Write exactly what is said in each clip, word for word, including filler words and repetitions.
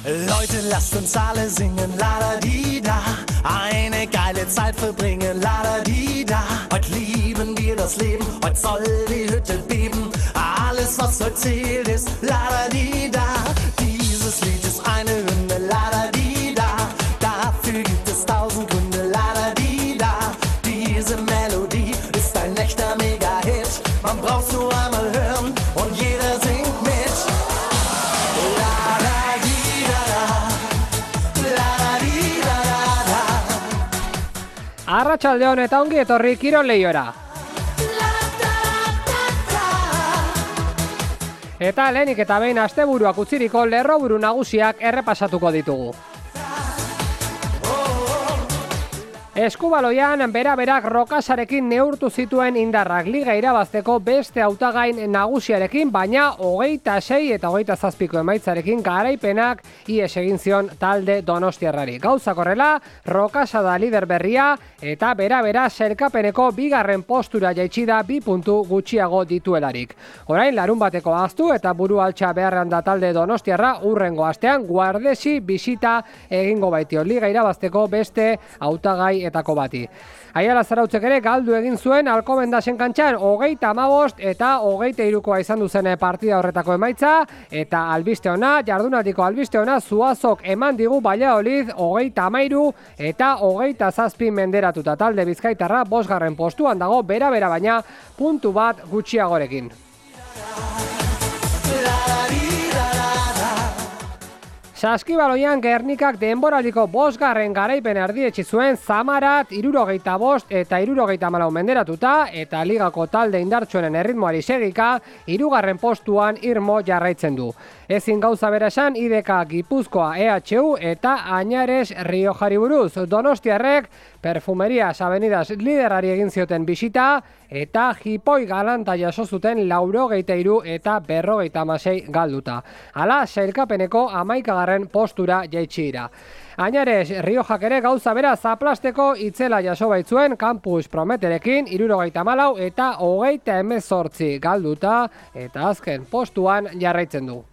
Leute, lasst uns alle singen, la-da-di-da. Eine geile Zeit verbringen, la-da-di-da. Heute lieben wir das Leben, heute soll die Hütte beben. Alles, was heute zählt, ist la-da-di-da. Dieses Lied ist eine Hymne, la-da-di-da. Dafür gibt es tausend Gründe, la-da-di-da. Diese Melodie ist ein echter Mega-Hit. Man braucht's nur einmal hören und jeder singt mit. Arratsaldeon eta ongi etorri Kirol Lehiora. Eta lehenik eta behin asteburuak utziriko lerroburu nagusiak errepasatuko ditugu. Eskubaloian bera-berak Rokasarekin neurtu zituen indarrak liga irabazteko beste hautagain nagusiarekin, baina hogeita sei eta hogeita zazpiko emaitzarekin garaipenak ihes egin zion talde donostiarrari. Gauzak horrela, Rokasa da lider berria eta bera-bera sailkapeneko bigarren postura jaitsi da bi puntu gutxiago dituelarik. Orain larun bateko ahaztu eta buru altxa beharrean da talde donostiarra urrengo astean Guardesi bisita egingo baitio liga irabazteko beste hautagai etako bati. Aiala Zarautzek ere galdu egin zuen Alcobendasen kantxan hogeita hamabost eta hogeita hirukoa izan duzen partida horretako emaitza, eta albiste ona, jardunaldiko albiste ona Zuazok eman digu Valladolid hogeita hamairu eta hogeita zazpi menderatuta. Talde bizkaitarra bosgarren postuan dago bera-bera baina puntu bat gutxiagorekin. Saskibaloian Gernikak denboraldiko bosgarren garaipen erdietsi zuen Zamarat hirurogeita bost eta hirurogeita hamalau menderatuta, eta ligako talde indartsuenen erritmoari segika hirugarren postuan irmo jarraitzen du. Ezin gauza bera esan I D K Gipuzkoa E H U eta Añares Riojari buruz. Donostiarrek Perfumerias Avenidas liderari egin zioten bisita eta jipoi galanta jaso zuten laurogeita hiru eta berrogeita hamasei galduta. Hala, sailkapeneko hamaikagarren postura jaitsi dira. Añares Riojak ere gauza bera zaplasteko itzela jaso baitzuen Campus Prometerekin hirurogeita hamalau eta hogeita hemezortzi galduta, eta azken postuan jarraitzen du.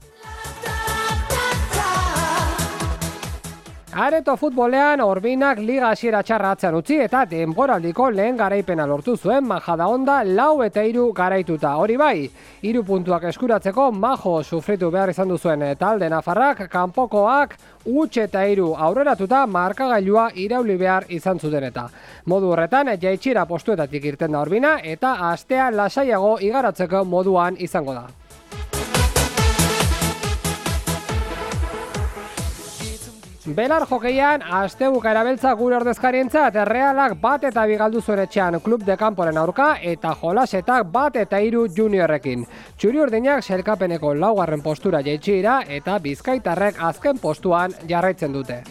Areto futbolean Orbinak liga hasiera txarra atzean utzi eta denboraldiko lehen garaipena lortu zuen Majadahonda lau eta hiru garaituta. Hori bai, hiru puntuak eskuratzeko majo sufritu behar izan duzuen talde nafarrak kanpokoak huts eta hiru aurreratuta markagailua irauli behar izan zuten eta. Modu horretan jaitsira postuetatik irten da Orbina eta astea lasaiago igaratzeko moduan izango da. Belar jokeian, astebuka erabeltza gure ordezkarientzat, Realak bat eta bi galdu zuen etxean Klub de Kanporen aurka eta Jolasetak bat eta hiru juniorrekin. Txuri urdinak sailkapeneko laugarren postura jaitsi dira eta bizkaitarrek azken postuan jarraitzen dute.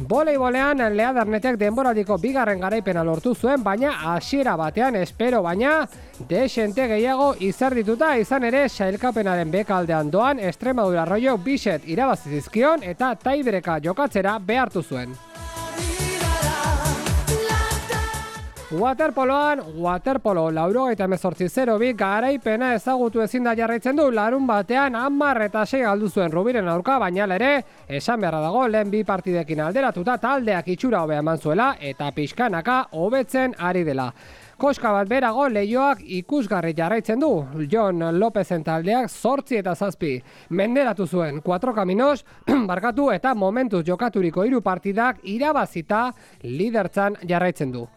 Voleibolean Leadernetek denboraldiko bigarren garaipena lortu zuen, baina hasiera batean espero baina desente gehiago izerdituta izan ere sailkapenaren bekaldean doan Extremadura Arroyo biset irabazi zizkion eta taibreka jokatzera behartu zuen. Waterpoloan, waterpolo laurogeita hemezortzi zero bi garaipena ezagutu ezin da jarraitzen du, larun batean hamar eta sei galdu zuen Rubiren aurka, baina ere esan beharra dago lehen bi partidekin alderatuta taldeak itxura hobea eman zuela eta pixkanaka hobetzen ari dela. Koska bat berago Leioak ikusgarri jarraitzen du. Jon Lopezen taldeak zortzi eta zazpi menderatu zuen Cuatro Caminos barkatu eta momentuz jokaturiko hiru partidak irabazita lidertzan jarraitzen du.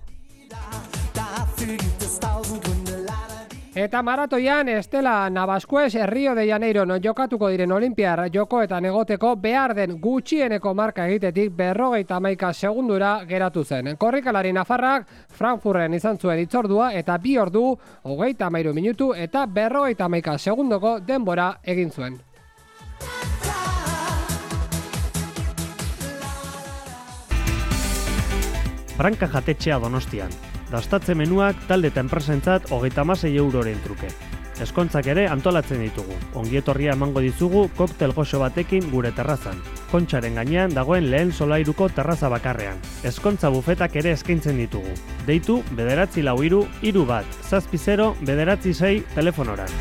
Eta maratoian Estela Navascuez Rio de Janeiro non jokatuko diren Olimpiar jokoetan egoteko behar den gutxieneko marka egitetik berrogeita hamaika segundura geratu zen. Korrikalari nafarrak Frankfurten izan zuen hitzordua eta bi ordu, hogeita hamairu minutu eta berrogeita hamaika segundoko denbora egin zuen. Branka jatetxea Donostian. Dastatze menuak talde eta enpresentzat hogeita hamasei euroren truke. Ezkontzak ere antolatzen ditugu. Ongietorria emango dizugu koktel goxo batekin gure terrazan. Kontxaren gainean dagoen lehen solairuko terraza bakarrean. Ezkontza bufetak ere eskaintzen ditugu. Deitu bederatzi lau hiru hiru bat, zazpi zero, bederatzi sei telefonoran.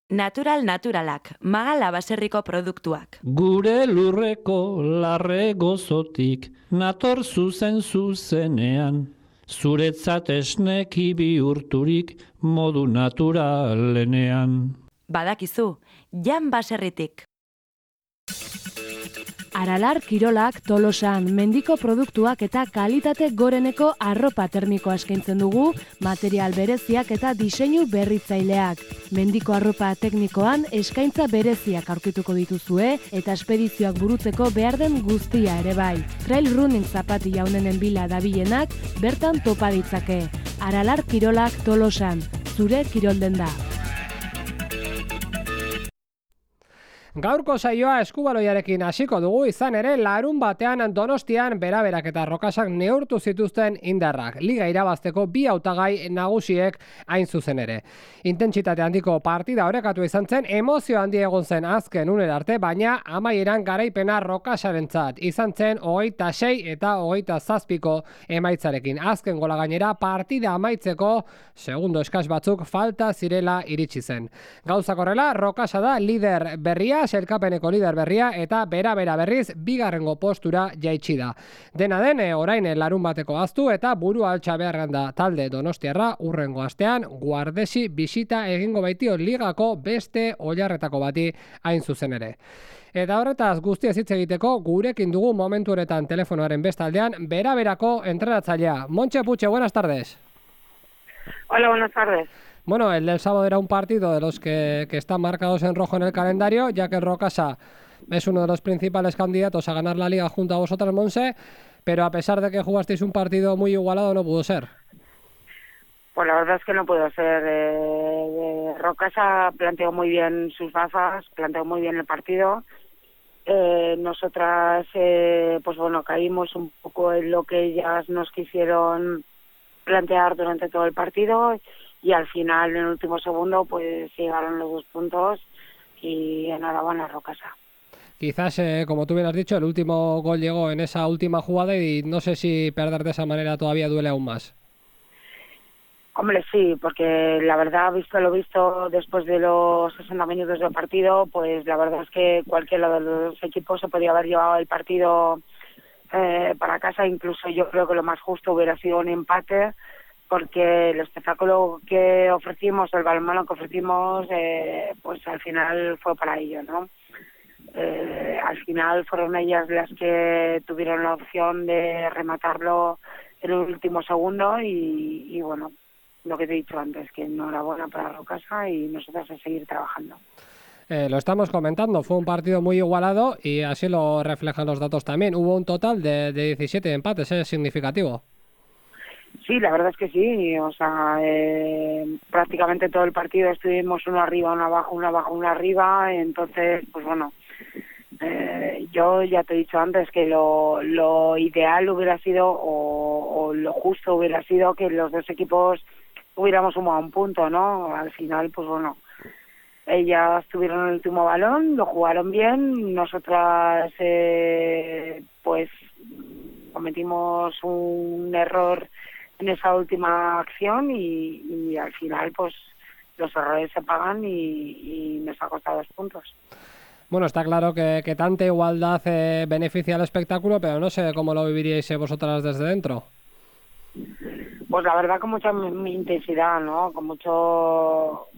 Natural naturalak, Magala baserriko produktuak. Gure lurreko larre gozotik, nator zuzen zuzenean, zuretzat esneki bihurturik modu naturalenean. Badakizu, Jan baserritik. Aralar Kirolak Tolosan mendiko produktuak eta kalitate goreneko arropa termikoa eskaintzen dugu, material bereziak eta diseinu berritzaileak. Mendiko arropa teknikoan eskaintza bereziak aurkituko dituzue eta espedizioak burutzeko behar den guztia ere bai. Trail running zapati jaunenen bila dabilenak bertan topa ditzake. Aralar Kirolak Tolosan, zure kirolden da. Gaurko saioa eskubaloiarekin hasiko dugu, izan ere larun batean Donostian beraberak eta rokasak neurtu zituzten indarrak. Liga irabazteko bi hautagai nagusiek hain zuzen ere. Intentsitate handiko partida orekatu izan zen, emozio handi egon zen azken unera arte, baina amaieran garaipena rokasarentzat izan zen hogeita sei eta hogeita zazpiko emaitzarekin. Azken gola gainera partida amaitzeko segundo eskas batzuk falta zirela iritsi zen. Gauzak horrela, Rokasa da lider berria, selkapeneko lider berria eta bera-bera berriz bigarrengo postura jaitsi da. Dena den, orain larun bateko aztu eta burua altxa beharran da talde donostiarra urrengo astean Guardesi bisita egingo baitio ligako beste oilarretako bati hain zuzen ere. Eta horretaz guztiaz hitz egiteko gurekin dugu momentu honetan telefonoaren bestaldean bera-berako entrenatzailea. Montse Puche, buenas tardes. Hola, buenas tardes. Bueno, el del sábado era un partido de los que, que están marcados en rojo en el calendario, ya que el Rokasa es uno de los principales candidatos a ganar la liga junto a vosotras, Monse, pero a pesar de que jugasteis un partido muy igualado, no pudo ser. Pues la verdad es que no pudo ser. Eh, Rokasa planteó muy bien sus bazas, planteó muy bien el partido. Eh, nosotras, eh, pues bueno, caímos un poco en lo que ellas nos quisieron plantear durante todo el partido. Y al final, en el último segundo, pues llegaron los dos puntos y enhorabuena Rokasa. Quizás, eh, como tú bien has dicho, el último gol llegó en esa última jugada y no sé si perder de esa manera todavía duele aún más. Hombre, sí, porque la verdad, visto lo visto después de los sesenta minutos del partido, pues la verdad es que cualquiera de los dos equipos se podía haber llevado el partido eh, para casa. Incluso yo creo que lo más justo hubiera sido un empate, porque el espectáculo que ofrecimos, el balonmano que ofrecimos, eh, pues al final fue para ellos, ¿no? Eh, al final fueron ellas las que tuvieron la opción de rematarlo en el último segundo y, y bueno, lo que te he dicho antes, que enhorabuena para Rokasa y nosotros a seguir trabajando. Eh, lo estamos comentando, fue un partido muy igualado y así lo reflejan los datos también. Hubo un total de, de diecisiete empates, es significativo. Sí, la verdad es que sí, o sea, eh, prácticamente todo el partido estuvimos uno arriba, uno abajo, uno abajo, uno arriba, entonces, pues bueno, eh, yo ya te he dicho antes que lo, lo ideal hubiera sido, o, o lo justo hubiera sido que los dos equipos hubiéramos sumado un punto, ¿no? Al final, pues bueno, ellas tuvieron el último balón, lo jugaron bien, nosotras, eh, pues, cometimos un error en esa última acción y, y al final pues los errores se pagan y, y nos ha costado dos puntos. Bueno, está claro que, que tanta igualdad eh, beneficia al espectáculo, pero no sé cómo lo viviríais vosotras desde dentro. Pues la verdad con mucha mi intensidad, ¿no? Con mucho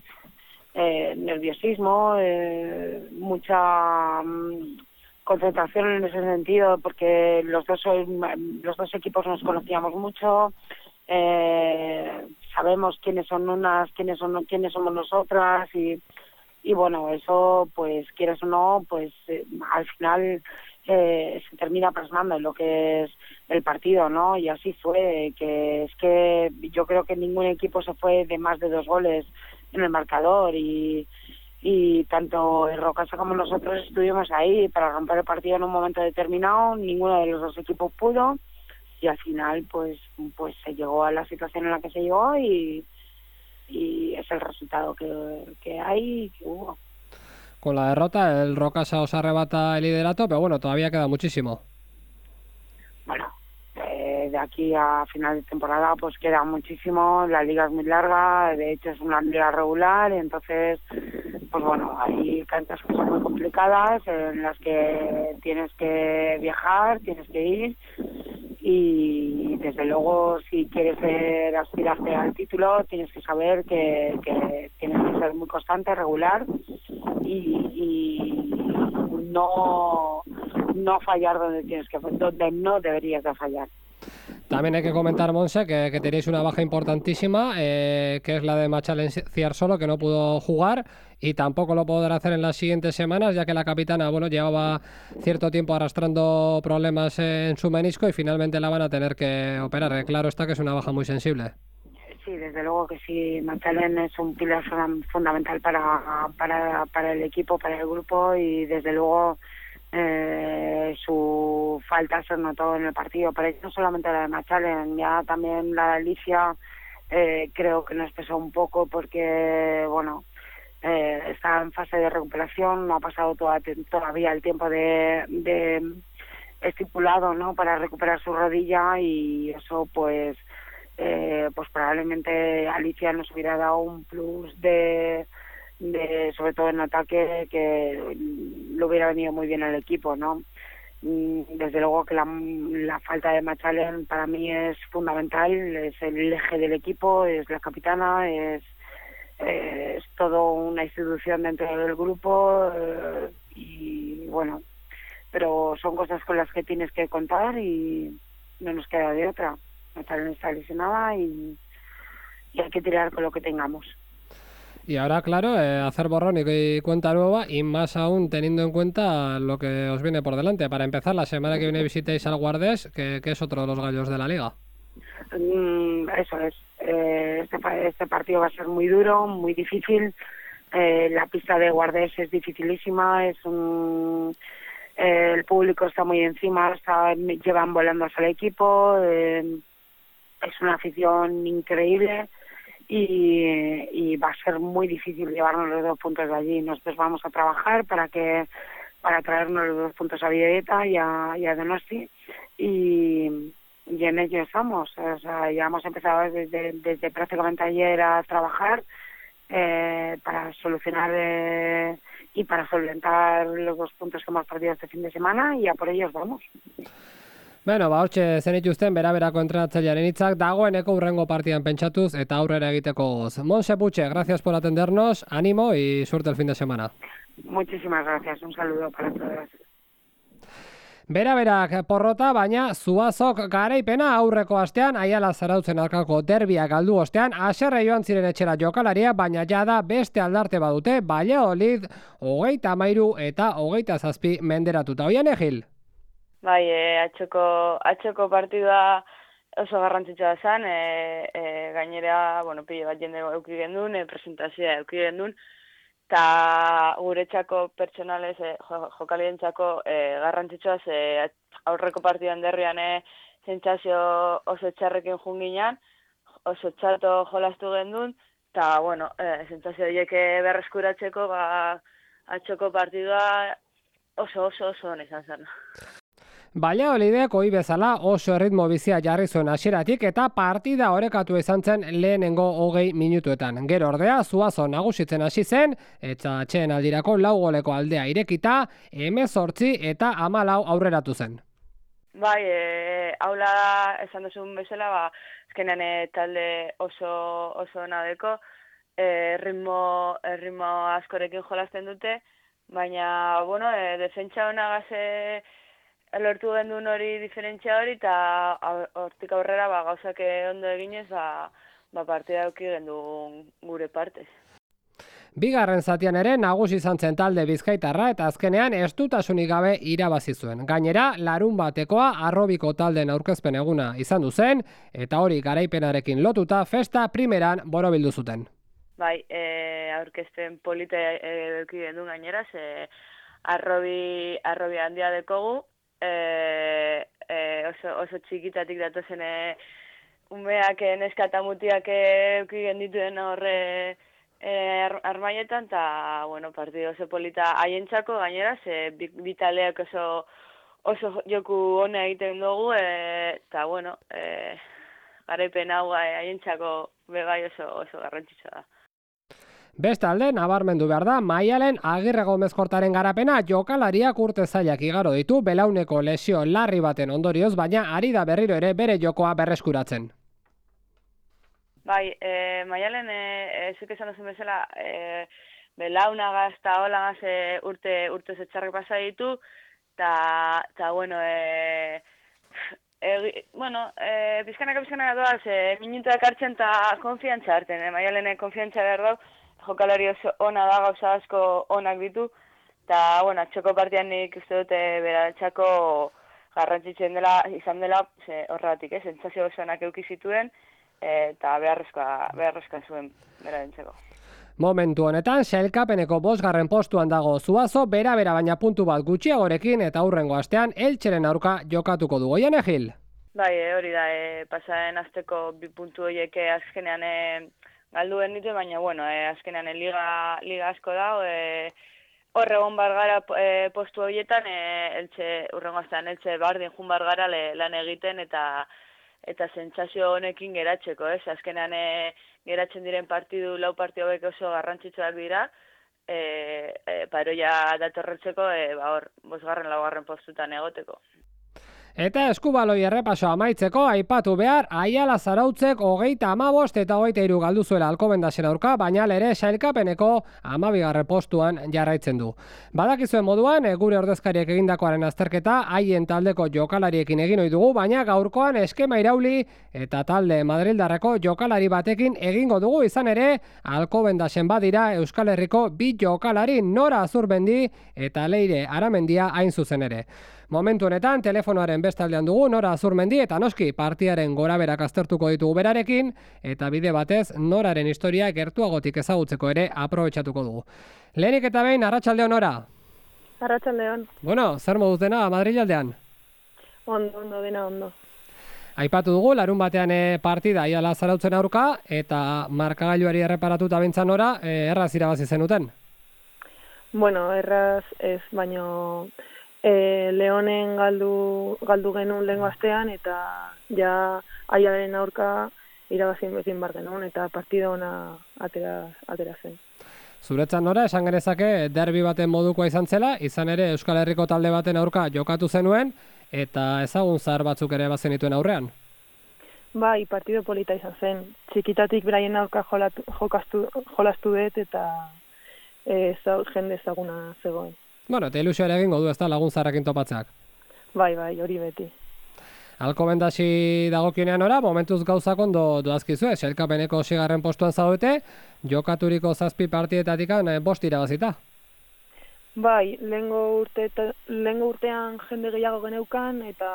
eh, nerviosismo, eh, mucha um, concentración en ese sentido, porque los dos los dos equipos nos conocíamos mucho. Eh, sabemos quiénes son unas, quiénes son quiénes somos nosotras y, y bueno, eso pues quieres o no, pues eh, al final eh, se termina plasmando en lo que es el partido, ¿no? Y así fue, que es que yo creo que ningún equipo se fue de más de dos goles en el marcador y, y tanto el Rocasa como nosotros estuvimos ahí para romper el partido en un momento determinado, ninguno de los dos equipos pudo y al final pues pues se llegó a la situación en la que se llegó y, y es el resultado que, que hay y que hubo. Con la derrota el Rocasa os arrebata el liderato, pero bueno, todavía queda muchísimo. Bueno, eh, de aquí a final de temporada pues queda muchísimo, la liga es muy larga, de hecho es una liga regular, entonces pues bueno, hay canchas que son muy complicadas en las que tienes que viajar, tienes que ir y desde luego si quieres ser, aspirarte al título tienes que saber que, que tienes que ser muy constante, regular y, y no no fallar donde tienes que donde no deberías de fallar. También hay que comentar, Monse, que, que tenéis una baja importantísima, eh, que es la de Machalen Ciarsolo, que no pudo jugar y tampoco lo podrá hacer en las siguientes semanas, ya que la capitana, bueno, llevaba cierto tiempo arrastrando problemas en su menisco y finalmente la van a tener que operar. Eh, claro está que es una baja muy sensible. Sí, desde luego que sí, Machalen es un pilar fundamental para, para, para el equipo, para el grupo y desde luego Eh, su falta se notó en el partido, pero no solamente la de Machalen, ya también la de Alicia eh, creo que nos pesó un poco porque bueno eh, está en fase de recuperación, no ha pasado toda, todavía el tiempo de, de estipulado, ¿no? Para recuperar su rodilla y eso pues eh, pues probablemente Alicia nos hubiera dado un plus de de sobre todo en ataque que le hubiera venido muy bien al equipo, ¿no? Desde luego que la, la falta de Machalen para mí es fundamental, es el eje del equipo, es la capitana, es eh, es todo una institución dentro del grupo eh, y bueno, pero son cosas con las que tienes que contar y no nos queda de otra. Machalen está lesionada y, y hay que tirar con lo que tengamos. Y ahora, claro, eh, hacer borrón y cuenta nueva y más aún teniendo en cuenta lo que os viene por delante. Para empezar, la semana que viene visitéis al Guardés, que, que es otro de los gallos de la liga. Mm, eso es. Eh, este, este partido va a ser muy duro, muy difícil. Eh, la pista de Guardés es dificilísima, es un... Eh, el público está muy encima, está, llevan volando hasta el equipo, eh, es una afición increíble. Y, y va a ser muy difícil llevarnos los dos puntos de allí. Nosotros vamos a trabajar para que para traernos los dos puntos a Villeta y a, y a Donosti y, y en ello estamos. O sea, ya hemos empezado desde, desde prácticamente ayer a trabajar eh, para solucionar eh, y para solventar los dos puntos que hemos perdido este fin de semana y a por ellos vamos. Bueno, ba, hortxe zenituzten bera-berako entrenatzailearen hitzak dagoeneko hurrengo partidan pentsatuz eta aurrera egiteko goz. Monse Puche, gracias por atendernos, ánimo y suerte el fin de semana. Muchísimas gracias, un saludo para todas. Bera-berak porrota, baina Zuazok garaipena aurreko astean Aiala Zarautzen aurkako derbia galdu ostean haserre joan ziren etxera jokalaria, baina jada beste aldarte badute, Valladolid hogeita hamairu eta hogeita zazpi menderatuta. Oian Egil? Bai, e, atxoko, atxoko partidua oso garrantzitsua zen, e, e, gainera, bueno, pile bat jende euki gendun, e, presentazioa euki gendun, eta guretzako pertsonalez, e, jokalientzako e, garrantzitsua, ze aurreko partidan derrian e, sentsazio oso txarrekin junginan, oso txarto jolastu gendun, eta, bueno, e, sentsazio horiek berreskuratzeko, ba, atxoko partidua oso oso oso hon izan zen. Valladolidek ohi bezala oso erritmo bizia jarri zuen hasieratik eta partida orekatu izan zen lehenengo hogei minutuetan. Gero ordea Zuazo nagusitzen hasi zen eta atxeen aldirako lau goleko aldea irekita hemezortzi eta hamalau aurreratu zen. Bai, e, haula esan duzun bezala, ba, azkenean e, talde oso oso ona deko, e, ritmo, ritmo askorekin jolasten dute, baina, bueno, e, defentsa honagaz e, lortu gendun hori diferentzia hori, eta hortik aurrera ba, gauzak ondo eginez, ba, ba, partida eduki gendun gure partez. Bigarren zatian ere nagusi izan zen talde bizkaitarra eta azkenean estutasunik gabe irabazi zuen. Gainera, larun batekoa Arrobiko taldeen aurkezpen eguna izan du zen eta hori garaipenarekin lotuta festa primeran borobildu zuten. Bai, e, aurkezpen polita eduki gendun gainera, ze arrobi, arrobi handia dekogu, e, e, oso, oso txikitatik datozen e, umeak, neska eta mutiak eduki gendituen horre e, armaietan, eta, bueno, partido oso polita haientzako gainera, ze bitaleak oso, oso joku hona egiten dugu, eta, bueno, e, garaipen hau haientzako bebai oso, oso garrantzitsua da. Bestalde, nabarmendu behar da, Maialen Agirre Gomez Kortaren garapena jokalariak urte zailak igaro ditu belauneko lesio larri baten ondorioz, baina ari da berriro ere bere jokoa berreskuratzen. Bai, e, Maialen, e, zuk esan duzun bezala, e, belaunagaz eta holagaz e, urte, urte zetxarrik pasa ditu, eta, bueno, e, e, bueno, e, bizkanaka bizkanaka doaz, e, minutuak hartzen eta konfiantza hartzen, e, Maialen konfiantza behar dau, jokalari oso ona da, gauza asko onak ditu, eta, bueno, atxoko partian nik uste dute beratxako garrantzitzen dela, izan dela, horregatik, eh, sentsazio oso onak eduki zituen, eta beharrezkoa, beharrezkoa zuen bera dintzeko. Momentu honetan, sailkapeneko bosgarren postuan dago Zuazo, bera-bera baina puntu bat gutxiagorekin eta hurrengo astean Eltxeren aurka jokatuko du. Goian Egil? Bai, hori da, e, pasaren azteko bi puntu horiek azkenean e, galduen ditu, baina, bueno, e, azkenean e, liga, liga asko da, e, horre egon bar gara e, postu horietan, e, eltxe, urrengo aztean, eltxe bardin jun bar gara le, lan egiten eta eta sentsazio honekin geratzeko, ez? Azkenean e, geratzen diren partidu, lau partidu hauek oso garrantzitsuak dira, e, e, paroia datorretzeko, e, ba hor, bosgarren, laugarren postutan egoteko. Eta eskubaloi errepaso amaitzeko aipatu behar, Aiala Zarautzek hogeita hamabost eta hogeita hiru galdu zuela Alcobendasen aurka, baina ere sailkapeneko hamabigarren postuan jarraitzen du. Badakizuen moduan, gure ordezkariek egindakoaren azterketa haien taldeko jokalariekin egin ohi dugu, baina gaurkoan eskema irauli eta talde Madrildarreko jokalari batekin egingo dugu, izan ere Alcobendasen badira Euskal Herriko bi jokalari, Nora Azurmendi eta Leire Aramendia hain zuzen ere. Momentu honetan, telefonoaren bestaldean dugu Nora Azurmendi eta noski partiaren goraberak aztertuko ditugu berarekin eta bide batez Noraren historia gertuagotik ezagutzeko ere aprobetxatuko dugu. Lehenik eta behin, arratsaldeon Nora? Arratsaldeon. Bueno, zer moduz dena Madrilaldean? Ondo, ondo, dena ondo. Aipatu dugu, larun batean partida Aiala Zarautzen aurka eta markagailuari erreparatuta bintzan Nora, erraz irabazi zenuten? Bueno, erraz ez, baino... E, Leonen galdu, galdu genuen lehengo astean eta ja Aialaren aurka irabazin bezin bar genuen eta partida ona atera, atera zen. Zuretzan Nora, esan genezake derbi baten modukoa izan zela, izan ere Euskal Herriko talde baten aurka jokatu zenuen eta ezagun zahar batzuk ere bazen dituen aurrean? Bai, partido polita izan zen. Txikitatik beraien aurka jolatu, jokastu, jolastu dut eta e, zau, jende ezaguna zegoen. Bueno, eta ilusioa egingo du, ez da, lagun zarrekin topatzeak. Bai, bai, hori beti. Alcobendasi dagokionean ora, momentuz gauzak ondo doazkizue, sailkapeneko seigarren postuan zaudete, jokaturiko zazpi partietatik bost irabazita. Bai, lehengo urte, lehengo urtean jende gehiago geneukan, eta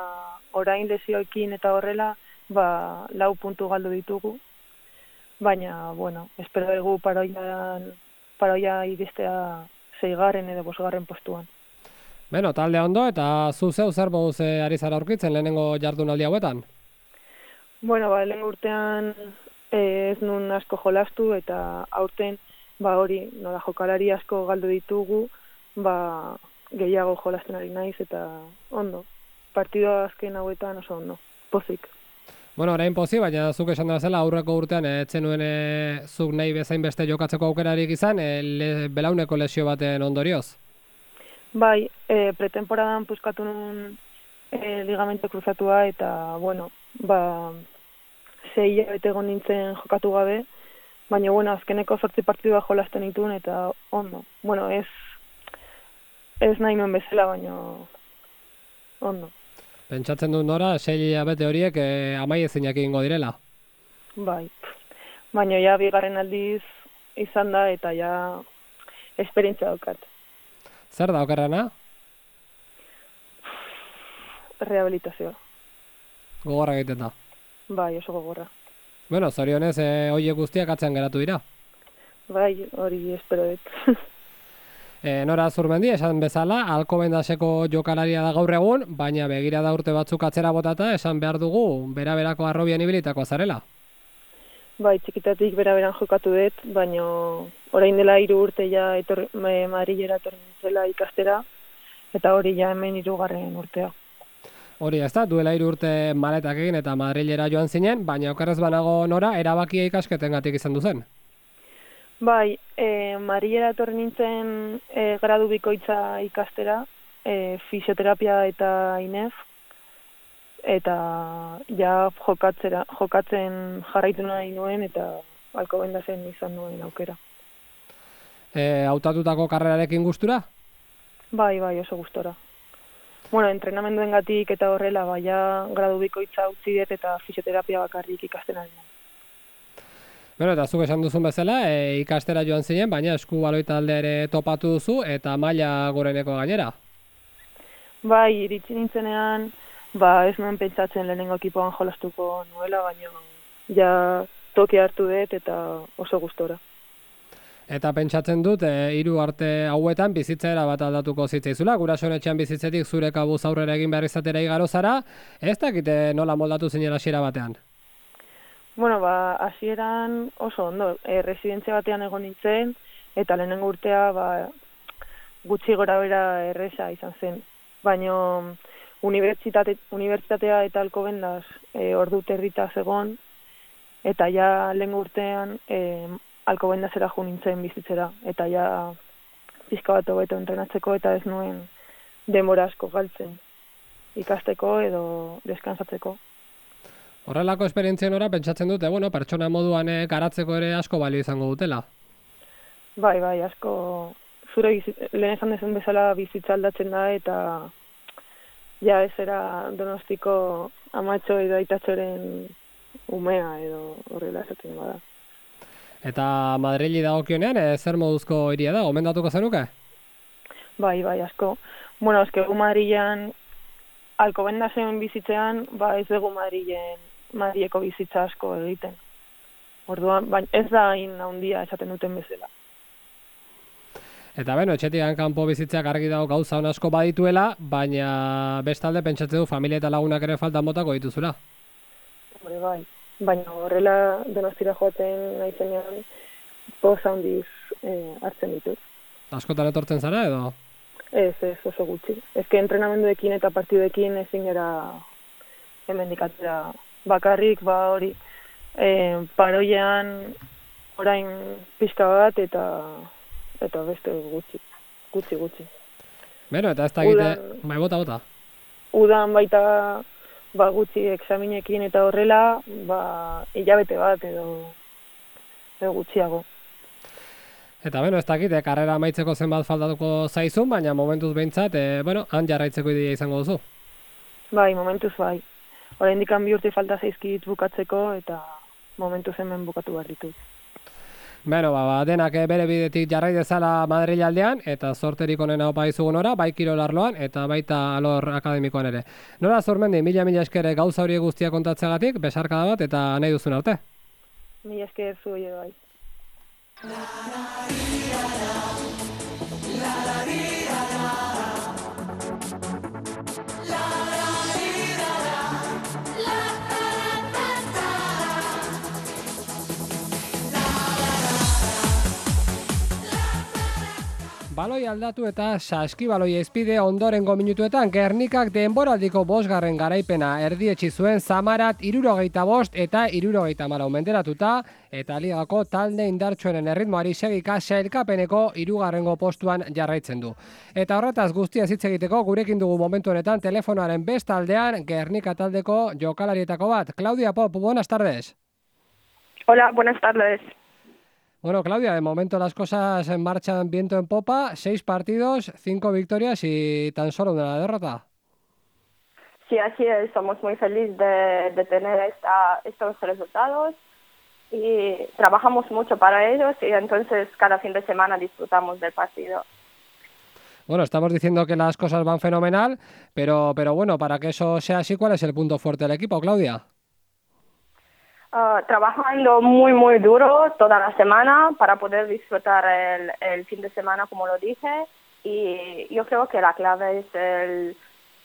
orain lesioekin eta horrela, ba, lau puntu galdu ditugu. Baina, bueno, espero dugu paroian, paroia iristea seigarren edo bosgarren postuan. Beno, talde ondo eta zu zeu zer moduz ari zara aurkitzen lehenengo jardunaldi hauetan? Bueno, ba, lehengo urtean ez nun asko jolastu eta aurten ba hori, nola jokalari asko galdu ditugu, ba gehiago jolasten ari naiz eta ondo. Partido azken hauetan oso ondo, pozik. Bueno, orain pozik, baina zuk esan da zela aurreko urtean etzen nuen e, zuk nahi bezain beste jokatzeko aukerarik izan, e, le, belauneko lesio baten ondorioz? Bai, e, pretemporadan puskatu nuen e, ligamente kruzatua eta, bueno, ba, sei hilabete egon nintzen jokatu gabe, baina, bueno, azkeneko zortzi partidua jolasten dituen eta ondo. Bueno, ez, ez nahi nuen bezala, baina ondo. Pentsatzen dut Nora, sei hilabete horiek e, amaiezinak egingo direla? Bai, baina ja bigarren aldiz izan da eta ja esperientzia daukat. Zer da okerrena? Rehabilitazioa. Gogorra egiten da. Bai, oso gogorra. Bueno, zorionez, e, horiek guztiak atzean geratu dira. Bai, hori espero dut. E, Nora Zurmendi, esan bezala, Alcobendaseko jokalaria da gaur egun, baina begira da urte batzuk atzera botata, esan behar dugu, bera-berako arrobian ibilitako zarela. Bai, txikitatik bera-beran jokatu dut, baina orain dela hiru urte ja etorri, Madrilera etorri nintzela ikastera, eta hori ja hemen hirugarren urtea. Hori ez da, duela hiru urte maletak egin eta Madrilera joan zinen, baina okerrez banago Nora, erabakia ikasketengatik izan duzen. Bai, e, Madrilera etorri nintzen e, gradu bikoitza ikastera, e, fisioterapia eta I N E F, eta ja jokatzera, jokatzen jarraitu nahi nuen eta Alcobendasen izan nuen aukera. E, hautatutako karrerarekin gustura? Bai, bai, oso gustora. Bueno, entrenamenduengatik eta horrela, bai, ja gradu bikoitza utzi dut eta fisioterapia bakarrik ikasten ari nuen. Bueno, eta zuk esan duzun bezala, e, ikastera joan zinen, baina esku baloi talde ere topatu duzu eta maila goreneko gainera. Bai, iritsi nintzenean, ba ez nuen pentsatzen lehenengo ekipoan jolastuko nuela, baina ja toki hartu dut eta oso gustora. Eta pentsatzen dut, e, hiru arte hauetan bizitzera bat aldatuko zitzaizula, gurasoen etxean bizitzetik zure kabuz aurrera egin behar izatera igaro zara, ez dakite nola moldatu zinen hasiera batean? Bueno, ba, hasieran oso ondo, e, residentzia batean egon nintzen, eta lehenengo urtea ba, gutxi gora bera erresa izan zen. Baina unibertsitate, unibertsitatea eta Alcobendas e, ordu territa zegon, eta ja lehenengo urtean e, Alcobendasera jo nintzen bizitzera, eta ja pixka bat hobeto entrenatzeko eta ez nuen denbora asko galtzen ikasteko edo deskansatzeko. Horrelako esperientzien ora pentsatzen dute, bueno, pertsona moduan e, garatzeko ere asko balio izango dutela. Bai, bai, asko zure lehen esan dezun bezala bizitza aldatzen da eta ja ez era Donostiko amatxo edo aitatxoren umea edo horrela esaten bada. Eta Madrili dagokionean, e, zer moduzko hiria da, gomendatuko zenuke? Bai, bai, asko. Bueno, eske gu Madrilen Alcobendasen bizitzean, ba ez dugu Madrilen Madrileko bizitza asko egiten. Orduan, baina ez da hain handia esaten duten bezala. Eta beno, etxetik kanpo bizitzeak argi dago gauza on asko badituela, baina bestalde pentsatzen du familia eta lagunak ere faltan botako dituzula. Hore bai, baina horrela Donostira joaten naizenean poz handiz eh, hartzen ditut. Askotan etortzen zara edo? Ez, ez, oso gutxi. Ezke entrenamenduekin eta partiduekin ezin gara hemendik atera bakarrik, ba hori e, paroian orain pixka bat eta eta beste gutxi, gutxi, gutxi. Beno, eta ez da egite, bai bota, bota. Udan baita ba gutxi examinekin eta horrela, ba hilabete bat edo, edo gutxiago. Eta beno, ez dakit, eh, karrera amaitzeko zenbat faltatuko zaizun, baina momentuz behintzat, eh, bueno, han jarraitzeko ideia izango duzu. Bai, momentuz bai. Oraindik bi urte falta zaizkit bukatzeko eta momentuz hemen bukatu behar ditut. Beno, ba, ba, denak eh, bere bidetik jarrai dezala Madril aldean, eta sorterik onena opa izugun ora, bai kirol arloan, eta baita alor akademikoan ere. Nora Zurmendi, mila mila esker gauza horiek guztia kontatzegatik, besarkada bat, eta nahi duzun arte. Mila esker zu hori bai. Baloi aldatu eta saskibaloi ezpide ondorengo minutuetan Gernikak denboraldiko bosgarren garaipena erdietsi zuen Zamarat hirurogeita bost eta hirurogeita hamalau menderatuta eta ligako talde indartsuenen erritmoari segika sailkapeneko hirugarrengo postuan jarraitzen du. Eta horretaz guztia hitz egiteko gurekin dugu momentu honetan telefonoaren bestaldean Gernika taldeko jokalarietako bat. Claudia Pop, buenas tardes. Hola, buenas tardes. Bueno, Claudia, de momento las cosas marchan viento en popa, seis partidos, cinco victorias y tan solo una derrota. Sí, así es, estamos muy felices de, de tener esta, estos resultados y trabajamos mucho para ellos y entonces cada fin de semana disfrutamos del partido. Bueno, estamos diciendo que las cosas van fenomenal, pero, pero bueno, para que eso sea así, ¿cuál es el punto fuerte del equipo, Claudia? Uh, trabajando muy, muy duro toda la semana para poder disfrutar el, el fin de semana, como lo dije, y yo creo que la clave es el,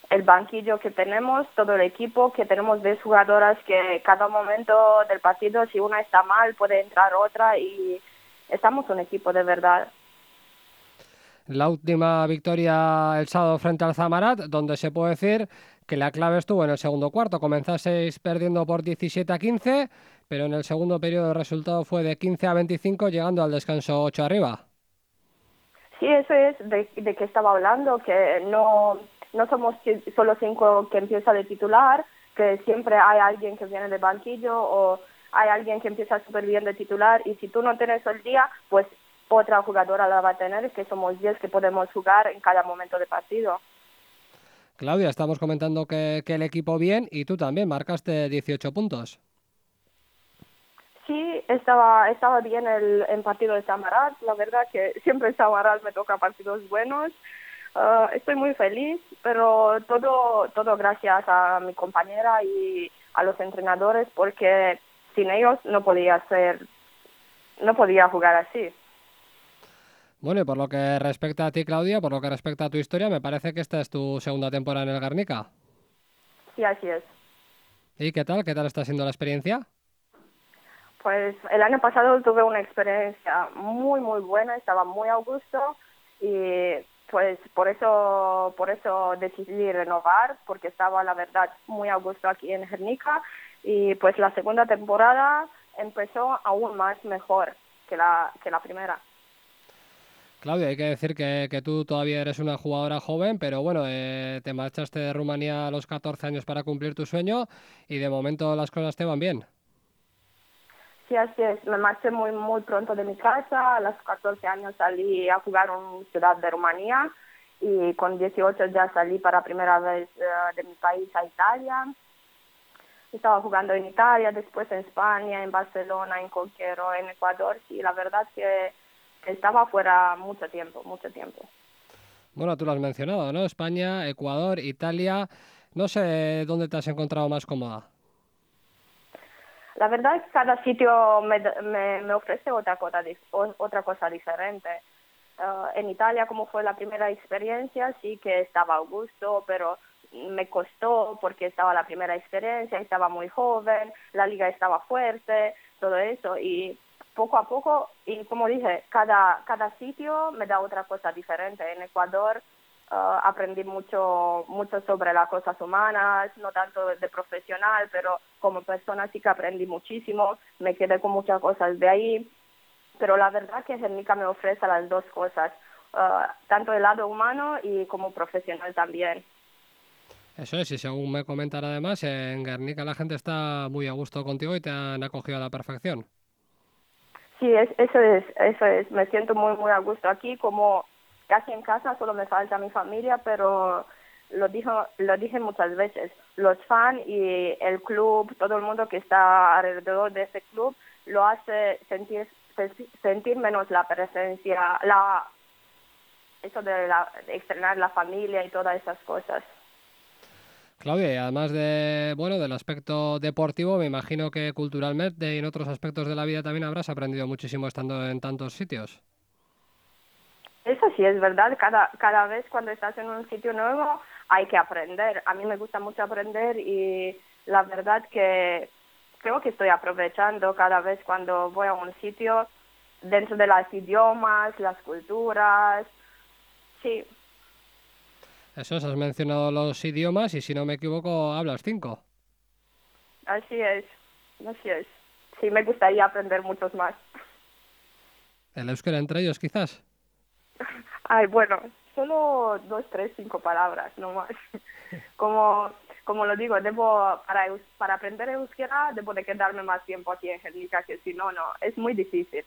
el banquillo que tenemos, todo el equipo, que tenemos diez jugadoras que cada momento del partido, si una está mal, puede entrar otra y estamos un equipo de verdad. La última victoria el sábado frente al Zamarat, donde se puede decir que la clave estuvo en el segundo cuarto. Comenzasteis perdiendo por diecisiete a quince, pero en el segundo periodo el resultado fue de quince a veinticinco, llegando al descanso ocho arriba. Sí, eso es de, de que estaba hablando, que no, no somos solo cinco que empieza de titular, que siempre hay alguien que viene de banquillo o hay alguien que empieza súper bien de titular, y si tú no tienes el día, pues otra jugadora la va a tener, que somos diez que podemos jugar en cada momento de partido. Claudia, estamos comentando que, que el equipo bien, y tú también marcaste dieciocho puntos. Sí, estaba estaba bien el, el partido de Zamarat, la verdad que siempre en Zamarat me toca partidos buenos. Uh, estoy muy feliz, pero todo todo gracias a mi compañera y a los entrenadores, porque sin ellos no podía ser, no podía jugar así. Bueno, y por lo que respecta a ti, Claudia, por lo que respecta a tu historia, me parece que esta es tu segunda temporada en el Guernica. Sí, así es. ¿Y qué tal? ¿Qué tal está siendo la experiencia? Pues el año pasado tuve una experiencia muy, muy buena, estaba muy a gusto y pues por eso por eso decidí renovar, porque estaba, la verdad, muy a gusto aquí en Guernica, y pues la segunda temporada empezó aún más mejor que la, que la primera. Claudia, hay que decir que, que tú todavía eres una jugadora joven, pero bueno, eh, te marchaste de Rumanía a los catorce años para cumplir tu sueño y de momento las cosas te van bien. Sí, así es. Me marché muy muy pronto de mi casa. A los catorce años salí a jugar en Ciudad de Rumanía y con dieciocho ya salí para primera vez uh, de mi país a Italia. Estaba jugando en Italia, después en España, en Barcelona, en Conquero, en Ecuador. Y la verdad que estaba fuera mucho tiempo, mucho tiempo. Bueno, tú lo has mencionado, ¿no? España, Ecuador, Italia. No sé dónde te has encontrado más cómoda. La verdad es que cada sitio me, me, me ofrece otra cosa, otra cosa diferente. Uh, en Italia, como fue la primera experiencia, sí que estaba a gusto, pero me costó porque estaba la primera experiencia, estaba muy joven, la liga estaba fuerte, todo eso, y poco a poco, y como dije, cada, cada sitio me da otra cosa diferente. En Ecuador Uh, aprendí mucho mucho sobre las cosas humanas, no tanto de profesional, pero como persona sí que aprendí muchísimo, me quedé con muchas cosas de ahí, pero la verdad que Guernica me ofrece las dos cosas, uh, tanto el lado humano y como profesional también. Eso es, y según me comentan además, en Guernica la gente está muy a gusto contigo y te han acogido a la perfección. Sí, es, eso es, eso es, me siento muy muy a gusto aquí, como casi en casa, solo me falta mi familia, pero lo dijo, lo dije muchas veces, los fans y el club, todo el mundo que está alrededor de ese club, lo hace sentir sentir menos la presencia, la eso de, la, de extrañar la familia y todas esas cosas. Claudia, y además de bueno del aspecto deportivo, me imagino que culturalmente y en otros aspectos de la vida también habrás aprendido muchísimo estando en tantos sitios. Eso sí es verdad, cada, cada vez cuando estás en un sitio nuevo hay que aprender. A mí me gusta mucho aprender y la verdad que creo que estoy aprovechando cada vez cuando voy a un sitio dentro de los idiomas, las culturas, sí. Eso es, has mencionado los idiomas y si no me equivoco hablas cinco. Así es, así es. Sí, me gustaría aprender muchos más. ¿El euskera entre ellos quizás? Ay, bueno, solo dos, tres, cinco palabras, no más. Como, como lo digo, debo para para aprender euskera debo de quedarme más tiempo aquí en Guernica, que si no, no, es muy difícil.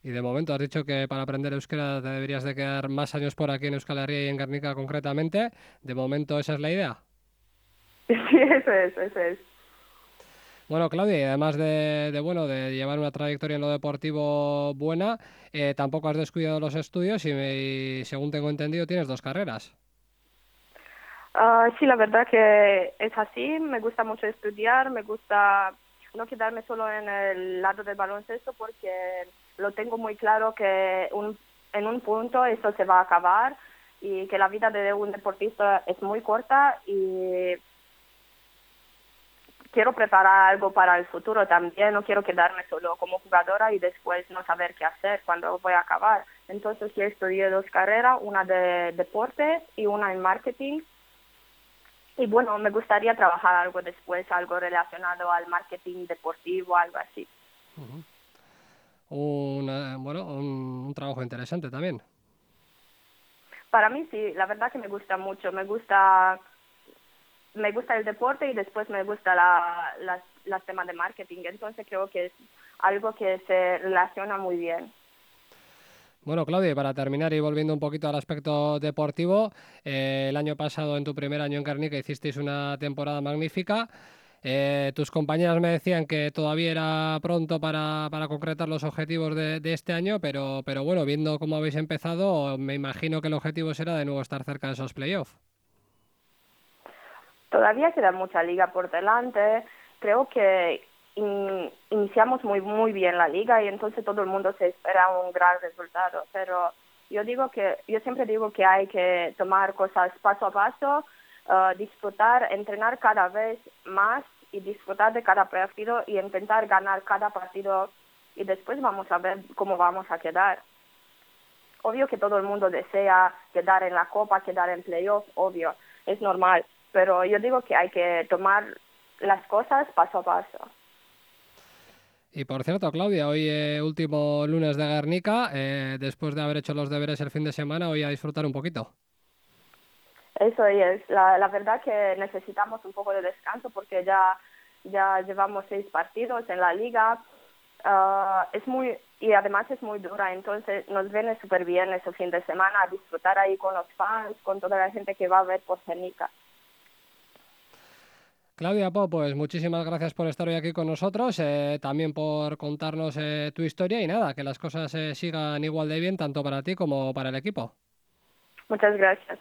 Y de momento has dicho que para aprender euskera te deberías de quedar más años por aquí en Euskal Herria y en Guernica concretamente. ¿De momento esa es la idea? Sí, eso es, eso es. Bueno, Claudia, y además de, de, bueno, de llevar una trayectoria en lo deportivo buena, eh, tampoco has descuidado los estudios y, me, y según tengo entendido tienes dos carreras. Uh, sí, la verdad que es así. Me gusta mucho estudiar, me gusta no quedarme solo en el lado del baloncesto porque lo tengo muy claro que un, en un punto esto se va a acabar y que la vida de un deportista es muy corta y quiero preparar algo para el futuro también, no quiero quedarme solo como jugadora y después no saber qué hacer cuando voy a acabar. Entonces yo estudié dos carreras, una de deporte y una en marketing. Y bueno, me gustaría trabajar algo después, algo relacionado al marketing deportivo, algo así. Uh-huh. Una, bueno, un, un trabajo interesante también. Para mí sí, la verdad que me gusta mucho, me gusta... Me gusta el deporte y después me gusta la, la, las temas de marketing. Entonces creo que es algo que se relaciona muy bien. Bueno, Claudia, para terminar y volviendo un poquito al aspecto deportivo, eh, el año pasado, en tu primer año en Guernica, hicisteis una temporada magnífica. Eh, tus compañeras me decían que todavía era pronto para, para concretar los objetivos de, de este año, pero, pero bueno, viendo cómo habéis empezado, me imagino que el objetivo será de nuevo estar cerca de esos playoffs. Todavía queda mucha liga por delante. Creo que in, iniciamos muy muy bien la liga y entonces todo el mundo se espera un gran resultado. Pero yo digo que yo siempre digo que hay que tomar cosas paso a paso, uh, disfrutar, entrenar cada vez más y disfrutar de cada partido y intentar ganar cada partido y después vamos a ver cómo vamos a quedar. Obvio que todo el mundo desea quedar en la copa, quedar en playoff, obvio, es normal. Pero yo digo que hay que tomar las cosas paso a paso. Y por cierto, Claudia, hoy eh, último lunes de Guernica, eh, después de haber hecho los deberes el fin de semana, hoy a disfrutar un poquito. Eso es, la, la verdad que necesitamos un poco de descanso porque ya, ya llevamos seis partidos en la liga. Uh, es muy y además es muy dura, entonces nos viene súper bien ese fin de semana a disfrutar ahí con los fans, con toda la gente que va a ver por Guernica. Claudia Po, pues muchísimas gracias por estar hoy aquí con nosotros, eh, también por contarnos eh, tu historia y nada, que las cosas eh, sigan igual de bien tanto para ti como para el equipo. Muchas gracias.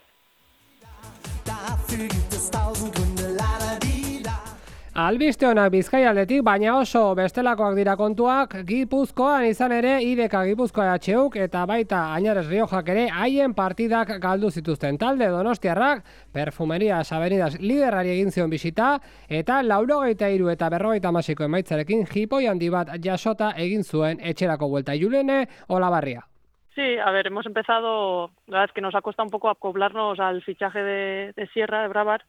Albiste onak Bizkaialdetik, baina oso bestelakoak dira kontuak Gipuzkoan izan ere Ideka Gipuzkoa H Uk eta baita Añares Riojak ere haien partidak galdu zituzten. Talde Donostiarrak Perfumerias Avenidas liderrari egin zion bisita eta laurogeita hiru eta berrogeita hamasiko emaitzarekin jipoi handi bat jasota egin zuen etxerako buelta. Julene Olabarria. Sí, a ver, hemos empezado, la verdad es que nos ha costado un poco acoplarnos al fichaje de, de Sierra, de Bravar,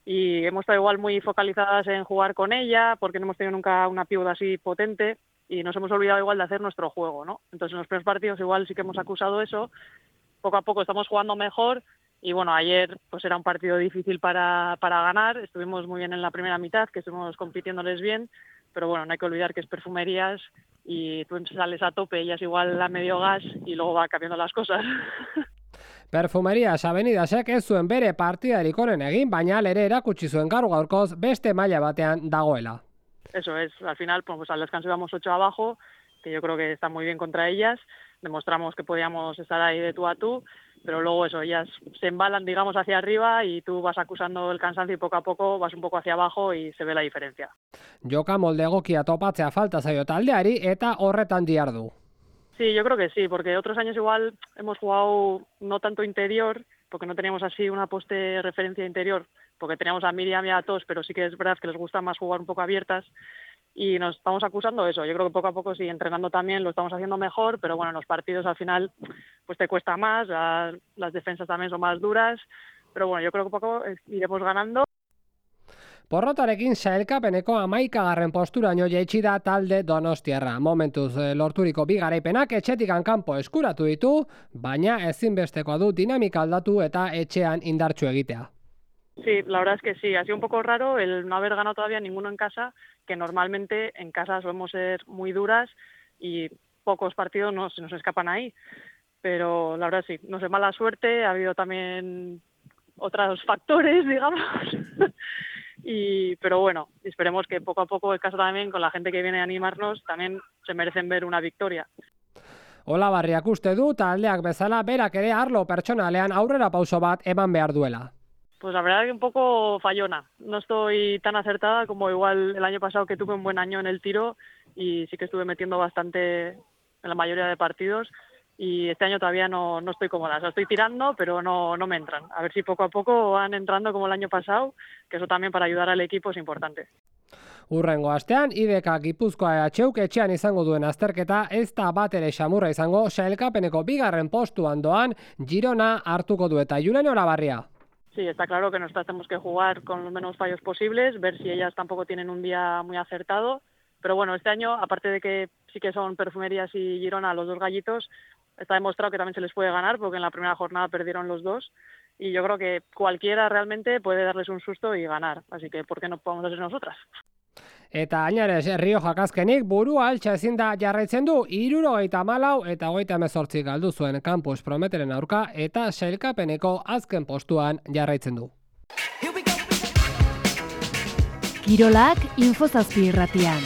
y hemos estado igual muy focalizadas en jugar con ella, porque no hemos tenido nunca una pivot así potente, y nos hemos olvidado igual de hacer nuestro juego, ¿no? Entonces en los primeros partidos igual sí que hemos acusado eso, poco a poco estamos jugando mejor, y bueno, ayer pues era un partido difícil para, para ganar, estuvimos muy bien en la primera mitad, que estuvimos compitiéndoles bien, pero bueno, no hay que olvidar que es Perfumerías, y tú sales a tope, ellas igual a medio gas, y luego va cambiando las cosas. Perfumerias Avenidasek ez zuen bere partidarik onen egin, baina ere erakutsi zuen gaur gaurkoz beste maila batean dagoela. Eso es, al final pues al descanso íbamos ocho abajo, que yo creo que está muy bien contra ellas, demostramos que podíamos estar ahí de tú a tú, pero luego eso, ellas se embalan digamos hacia arriba y tú vas acusando el cansancio y poco a poco vas un poco hacia abajo y se ve la diferencia. Joka molde egokia topatzea falta zaio taldeari eta horretan dihardu. Sí, yo creo que sí, porque otros años igual hemos jugado no tanto interior, porque no teníamos así una poste referencia interior, porque teníamos a Miriam y a Tos, pero sí que es verdad que les gusta más jugar un poco abiertas y nos estamos acusando eso. Yo creo que poco a poco sí, entrenando también lo estamos haciendo mejor, pero bueno, en los partidos al final pues te cuesta más, las defensas también son más duras, pero bueno, yo creo que poco iremos ganando. Porrotarekin sailkapeneko hamaikagarren posturaino jaitsi da talde donostiarra. Momentuz lorturiko bi garaipenak etxetikan kanpo eskuratu ditu, baina ezinbestekoa du dinamika aldatu eta etxean indartsu egitea. Sí, la verdad es que sí, ha sido un poco raro el no haber ganado todavía ninguno en casa, que normalmente en casa solemos ser muy duras y pocos partidos no, se nos escapan ahí. Pero la verdad sí, no sé, mala suerte, ha habido también otros factores, digamos, Y, pero bueno, esperemos que poco a poco el caso también con la gente que viene a animarnos también se merecen ver una victoria. Ola Barriak uste du taldeak bezala berak ere arlo pertsonalean aurrera pauso bat eman behar duela. Pues la verdad que un poco fallona. No estoy tan acertada como igual el año pasado, que tuve un buen año en el tiro y sí que estuve metiendo bastante en la mayoría de partidos, y este año todavía no, no estoy cómoda. O sea, estoy tirando, pero no, no me entran. A ver si poco a poco van entrando como el año pasado, que eso también para ayudar al equipo es importante. Urrengo astean, I D K Gipuzkoa etxeuk etxean izango duen azterketa ez da bat ere xamurra izango, sailkapeneko bigarren postuan doan Girona hartuko du eta Julen Olabarria. Sí, está claro que nosotros tenemos que jugar con los menos fallos posibles, ver si ellas tampoco tienen un día muy acertado. Pero bueno, este año, aparte de que sí que son Perfumerías y Girona los dos gallitos, está demostrado que también se les puede ganar, porque en la primera jornada perdieron los dos. Y yo creo que cualquiera realmente puede darles un susto y ganar. Así que, ¿por qué no podemos ser nosotras? Eta Añares Rioja azkenik burua altxa ezin da jarraitzen du hirurogeita hamalau eta hogeita hemezortzi galdu zuen Campus Prometeren aurka eta sailkapeneko azken postuan jarraitzen du. Kirolak Infozazpi irratian.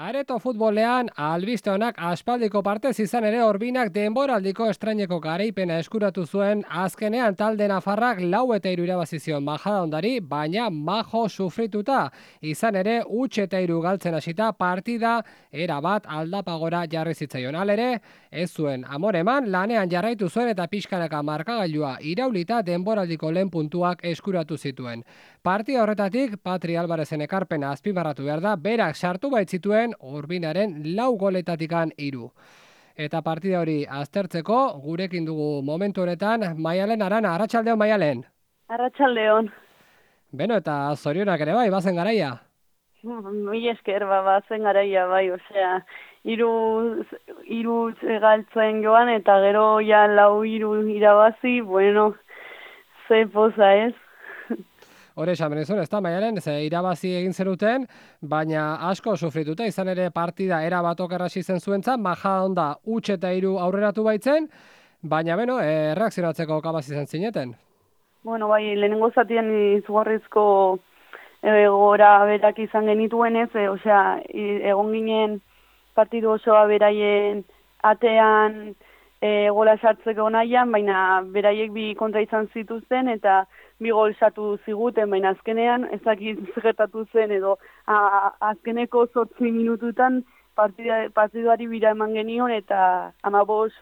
Areto futbolean albiste honak aspaldiko partez izan ere Orbinak denboraldiko estraineko garaipena eskuratu zuen, azkenean talde nafarrak lau eta hiru irabazi zion Majadahondari, baina majo sufrituta. Izan ere huts eta hiru galtzen hasita partida erabat aldapagora jarri zitzaion. Halere, ez zuen amoreman, lanean jarraitu zuen eta pixkanaka markagailua iraulita denboraldiko lehen puntuak eskuratu zituen. Partida horretatik Patri Albarezen ekarpena azpimarratu behar da, berak sartu baitzituen Urbinaren lau goletatikan hiru. Eta partida hori aztertzeko gurekin dugu momentu honetan Maialen Arana. Arratsaldeon Maialen. Arratsaldeon. Beno, eta zorionak ere bai, bazen garaia. Mi esker, ba, bazen garaia bai, osea, hiru hiru galtzen joan eta gero ja lau hiru irabazi, bueno, ze poza ez. Hore esan benizun, ez da, Maialen, ze irabazi egin zenuten, baina asko sufrituta, izan ere partida era bat okerrasi zen zuentzat, Majadahonda huts eta hiru aurreratu baitzen, baina beno, e, reakzionatzeko kapaz izan zineten. Bueno, bai, lehenengo zatien izugarrizko gora berak izan genituen ez, e, osea, egon ginen partidu osoa beraien atean e, gola sartzeko nahian, baina beraiek bi kontra izan zituzten, eta bi gol sartu ziguten, baina azkenean ez dakit gertatu zen edo a, azkeneko zortzi minututan partida, partiduari bira eman genion eta hamabost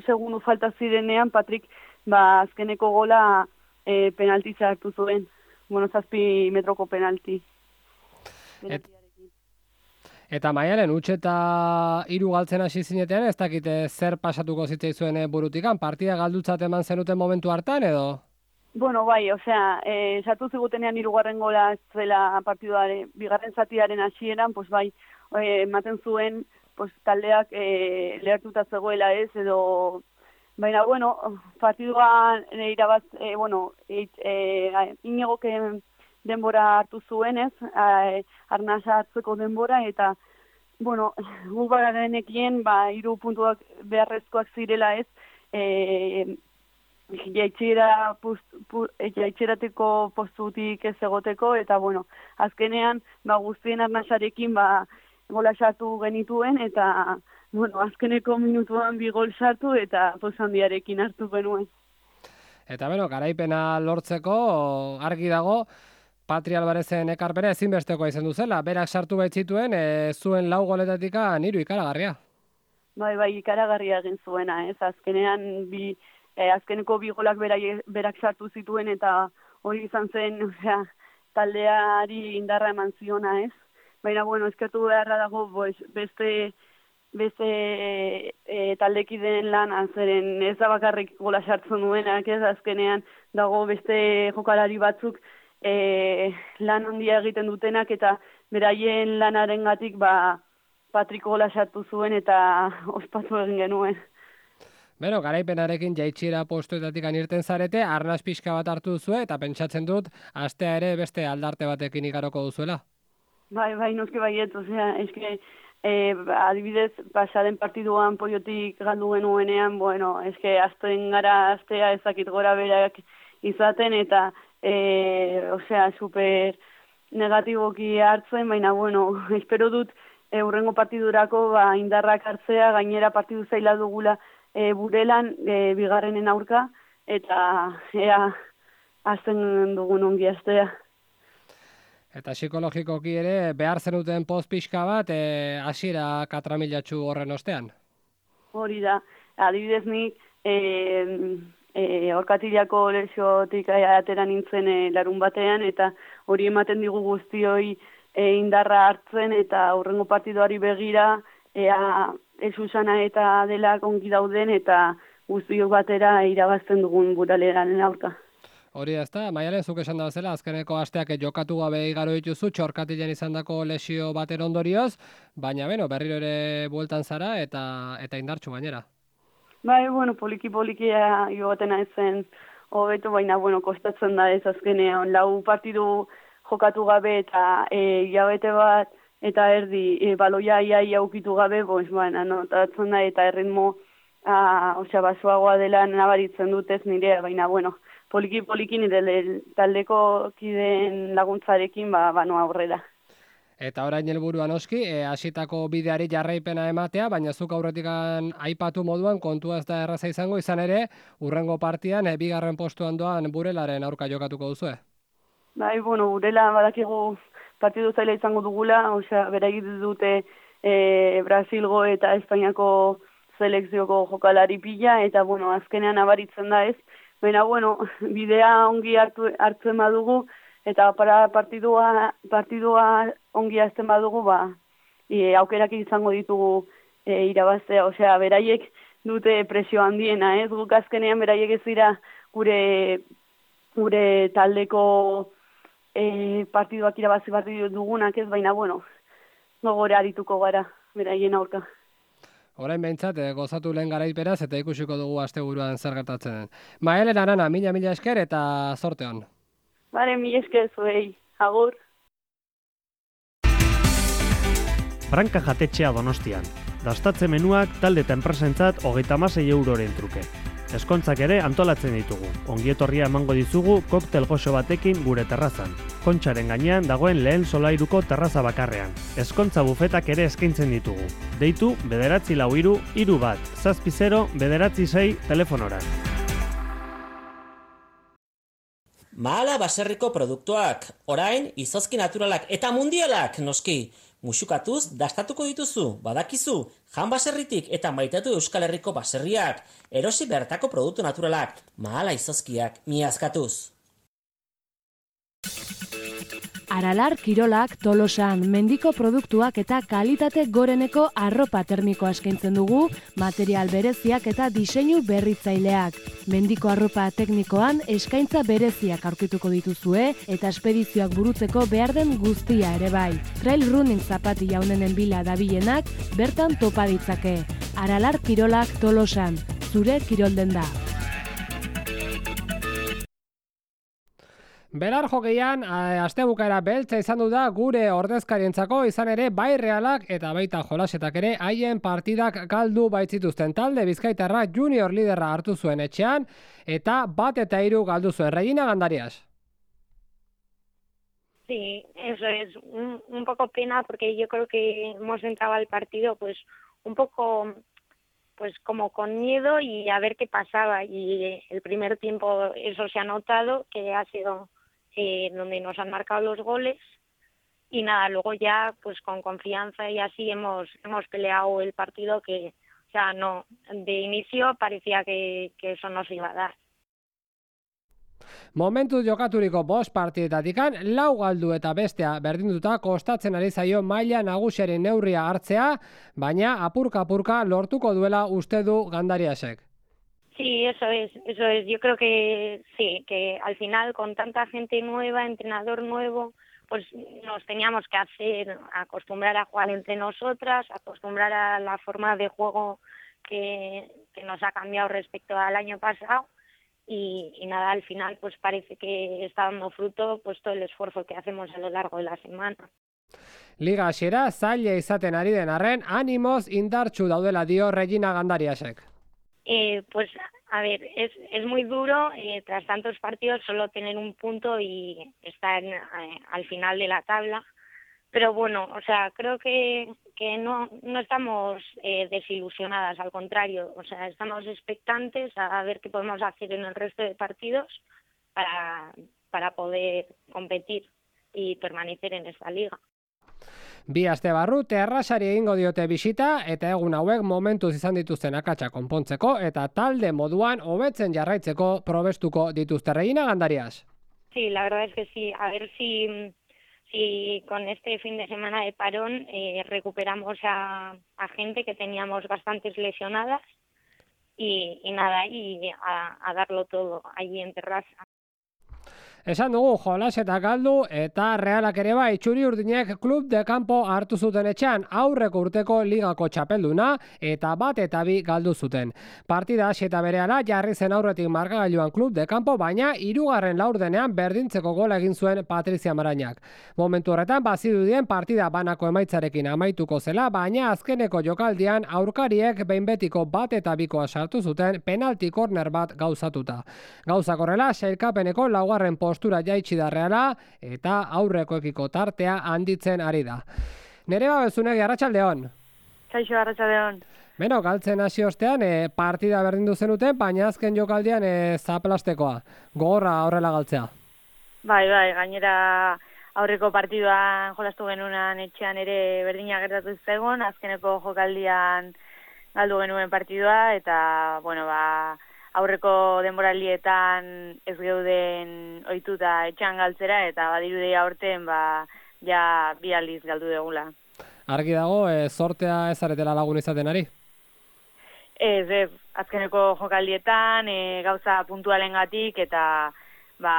segundu falta zirenean Patrik ba, azkeneko gola e, penalti sartu zuen. Bueno, zazpi metroko penalti. Et, eta Maialen, huts eta hiru galtzen hasi zinetean, ez dakite zer pasatuko zitzaizuen burutikan, partida galdutzat eman zenuten momentu hartan edo? Bueno, bai, osea, eh, sartu zigutenean hirugarren gola zela partiduaren, bigarren zatiaren hasieran, pues bai, ematen eh, zuen, pues taldeak eh, lehertuta zegoela ez, edo, baina, bueno, partiduan eh, irabaz, eh, bueno, eh, eh, Iñigok denbora hartu zuen ez, eh, arnasa hartzeko denbora, eta, bueno, gu bagarenekien, ba, hiru puntuak beharrezkoak zirela ez, eh, jaitxera jaitxerateko postutik ez egoteko, eta bueno, azkenean ba, guztien arnasarekin ba, gola sartu genituen, eta bueno, azkeneko minutuan bi gol sartu eta poz handiarekin hartu genuen. Eta beno, garaipena lortzeko argi dago Patri Albarezen ekarpena ezinbestekoa izan duzela, berak sartu baitzituen, e, zuen lau goletatika hiru ikaragarria. Bai, bai, ikaragarria egin zuena, ez, azkenean bi E, azkeneko bi golak berak, berak sartu zituen eta hori izan zen, osea, taldeari indarra eman ziona, ez? Baina, bueno, eskertu beharra dago, pues, beste, beste e, e, taldekideen lan, azeren ez da bakarrik gola sartzen duenak, ez? Azkenean dago beste jokalari batzuk e, lan handia egiten dutenak, eta beraien lanarengatik ba, Patrik gola sartu zuen eta ospatu egin genuen. Beno, garaipenarekin jaitxiera postuetatik anirten zarete, arnaz pixka bat hartu duzue, eta pentsatzen dut, astea ere beste aldarte batekin igaroko duzuela. Bai, bai, noski baiet, osea, eske, E, adibidez, pasaden partiduan Poiotik galdu genuenean, bueno, eske azten gara astea ezakit gora berak izaten, eta, e, osea, super negatiboki hartzen, baina, bueno, espero dut, e, urrengo partidurako ba, indarrak hartzea, gainera partidu zaila dugula e, burelan, e, bigarrenen aurka, eta ea azten dugun ongi astea. Eta psikologikoki ere, behar zenuten poz pixka bat, e, hasiera katramilatxu horren ostean? Hori da, adibidez nik, e, e, orkatilako lesiotik atera nintzen e, larun batean, eta hori ematen digu guztioi e, indarra hartzen, eta hurrengo partidoari begira, ea Susana eta dela ongi dauden, eta guztiok batera irabazten dugun buraleran aurka. Hori ez da, Maialen, zuk esan da bezala, azkeneko asteak jokatu gabe igaro dituzu, txorkatilen izandako lesio baten ondorioz, baina beno, berriro ere bueltan zara eta eta indartsu gainera. Bai, bueno, poliki-poliki joaten naizen hobeto, baina, bueno, kostatzen da ez azkenean, lau partidu jokatu gabe eta e, hilabete bat eta erdi e, baloia iaia ukitu gabe, boz, baina, notatzen da eta erritmo, a, osea, basoagoa dela nabaritzen dutez nirea, baina, bueno, poliki-poliki nire taldeko kideen laguntzarekin ba, bano aurrera. Eta orain helburua noski, e, hasitako bideari jarraipena ematea, baina zuk aurretikan aipatu moduan kontua ez da erraza izango, izan ere, urrengo partian, e, bigarren postuan doan Burelaren aurka jokatuko duzue. Bai, bueno, Burela badakigu partidu zaila izango dugula, osea, beraiek dute e, Brasilgo eta Espainiako selekzioko jokalari pila, eta, bueno, azkenean abaritzen da ez, baina, bueno, bidea ongi hartu, hartzen badugu, eta para partidua, partidua ongi hartzen badugu, ba, e, aukerak izango ditugu e, irabaztea, osea, beraiek dute presio handiena, ez? Guk azkenean beraiek ez dira gure, gure taldeko e, partiduak irabazi partidu dugunak ez, baina, bueno, gogore arituko gara, beraien aurka. Orain behintzat, eh, gozatu lehen garaiperaz eta ikusiko dugu asteburuan zer gertatzen den. Maialen Arana, mila-mila esker eta zorte hon. Bare, mila esker zuei, agur. Branka jatetxea Donostian. Dastatze menuak talde eta enpresentzat hogeita hamasei euroren truke. Eskontzak ere antolatzen ditugu. Ongietorria emango dizugu koktel goxo batekin gure terrazan. Kontxaren gainean dagoen lehen solairuko terraza bakarrean. Eskontza bufetak ere eskaintzen ditugu. Deitu bederatzi lau hiru hiru bat, zazpi zero bederatzi sei telefonora. Mahala baserriko produktuak, orain izozki naturalak eta mundialak noski. Musukatuz dastatuko dituzu, badakizu, jan baserritik eta maitatu Euskal Herriko baserriak, erosi bertako produktu naturalak, mahala izozkiak, miazkatuz. Aralar Kirolak Tolosan mendiko produktuak eta kalitate goreneko arropa termikoa eskaintzen dugu, material bereziak eta diseinu berritzaileak. Mendiko arropa teknikoan eskaintza bereziak aurkituko dituzue eta espedizioak burutzeko behar den guztia ere bai. Trail running zapati jaunenen bila dabilenak bertan topa ditzake. Aralar Kirolak Tolosan, zure kirolden da. Belar jokeian, astebukaera beltza izan du da gure ordezkarientzako, izan ere bai Realak eta baita jolasetak ere haien partidak galdu baitzituzten. Talde Bizkaitarra junior liderra hartu zuen etxean eta bat eta hiru galdu zuen. Regina Gandarias. Sí, eso es un, un poco pena porque yo creo que hemos entrado al partido pues un poco pues como con miedo y a ver qué pasaba, y el primer tiempo eso se ha notado, que ha sido eh, donde nos han marcado los goles, y nada, luego ya pues con confianza y así hemos hemos peleado el partido, que o sea, no, de inicio parecía que, que eso no se iba a dar. Momentu jokaturiko bost partidetatikan lau galdu eta bestea berdinduta kostatzen ari zaio maila nagusiaren neurria hartzea, baina apurka-apurka lortuko duela uste du Gandariasek. Sí, eso es, eso es. Yo creo que sí, que al final con tanta gente nueva, entrenador nuevo, pues nos teníamos que hacer, acostumbrar a jugar entre nosotras, acostumbrar a la forma de juego que, que nos ha cambiado respecto al año pasado. Y, y nada, al final pues parece que está dando fruto pues todo el esfuerzo que hacemos a lo largo de la semana. Liga hasiera zaila izaten ari den arren, animoz indartsu daudela dio Regina Gandariasek. Eh, pues, a ver, es, es muy duro eh, tras tantos partidos solo tener un punto y estar eh, al final de la tabla. Pero bueno, o sea, creo que, que no, no estamos eh, desilusionadas, al contrario. O sea, estamos expectantes a ver qué podemos hacer en el resto de partidos para, para poder competir y permanecer en esta liga. Bi aste barru Terrasari egingo diote bisita eta egun hauek momentuz izan dituzten akatsa konpontzeko eta talde moduan hobetzen jarraitzeko probestuko dituzte. Regina Gandarias. Sí, la verdad es que sí. A ver si, si con este fin de semana de parón eh, recuperamos a, a gente que teníamos bastantes lesionadas y, y nada, y a, a darlo todo allí en Terrassa. Esan dugu jolas eta galdu eta Realak ere bai txuri urdinek klub de campo hartu zuten etxean aurreko urteko ligako txapelduna eta bat eta bi galdu zuten. Partida hasi eta berehala jarri zen aurretik markagailuan klub de campo, baina hirugarren laurdenean berdintzeko gola egin zuen Patrizia Marañak. Momentu horretan bazirudien partida banako emaitzarekin amaituko zela, baina azkeneko jokaldian aurkariek behin betiko bat eta bikoa sartu zuten penalti korner bat gauzatuta. Gauzak horrela sailkapeneko laugarren postura jaitsi da Reala eta aurrekoekiko tartea handitzen ari da. Nereba Bezunegi, arratsaldeon. Kaixo, arratsaldeon. Beno, galtzen hasi ostean e, partida berdindu zenuten, baina azken jokaldian e, zaplastekoa. Gogorra horrela galtzea. Bai, bai, gainera aurreko partiduan jolastu genunan etxean ere berdina gertatu zegoen, azkeneko jokaldian galdu genuen partidua eta, bueno, ba, aurreko denboralietan ez geuden ohituta etxean galtzera eta badirudi aurten ba ja bi aldiz galdu degula. Argi dago, e, sortea ez aretela lagun izaten ari? Ez, ez, azkeneko jokaldietan e, gauza puntualengatik eta ba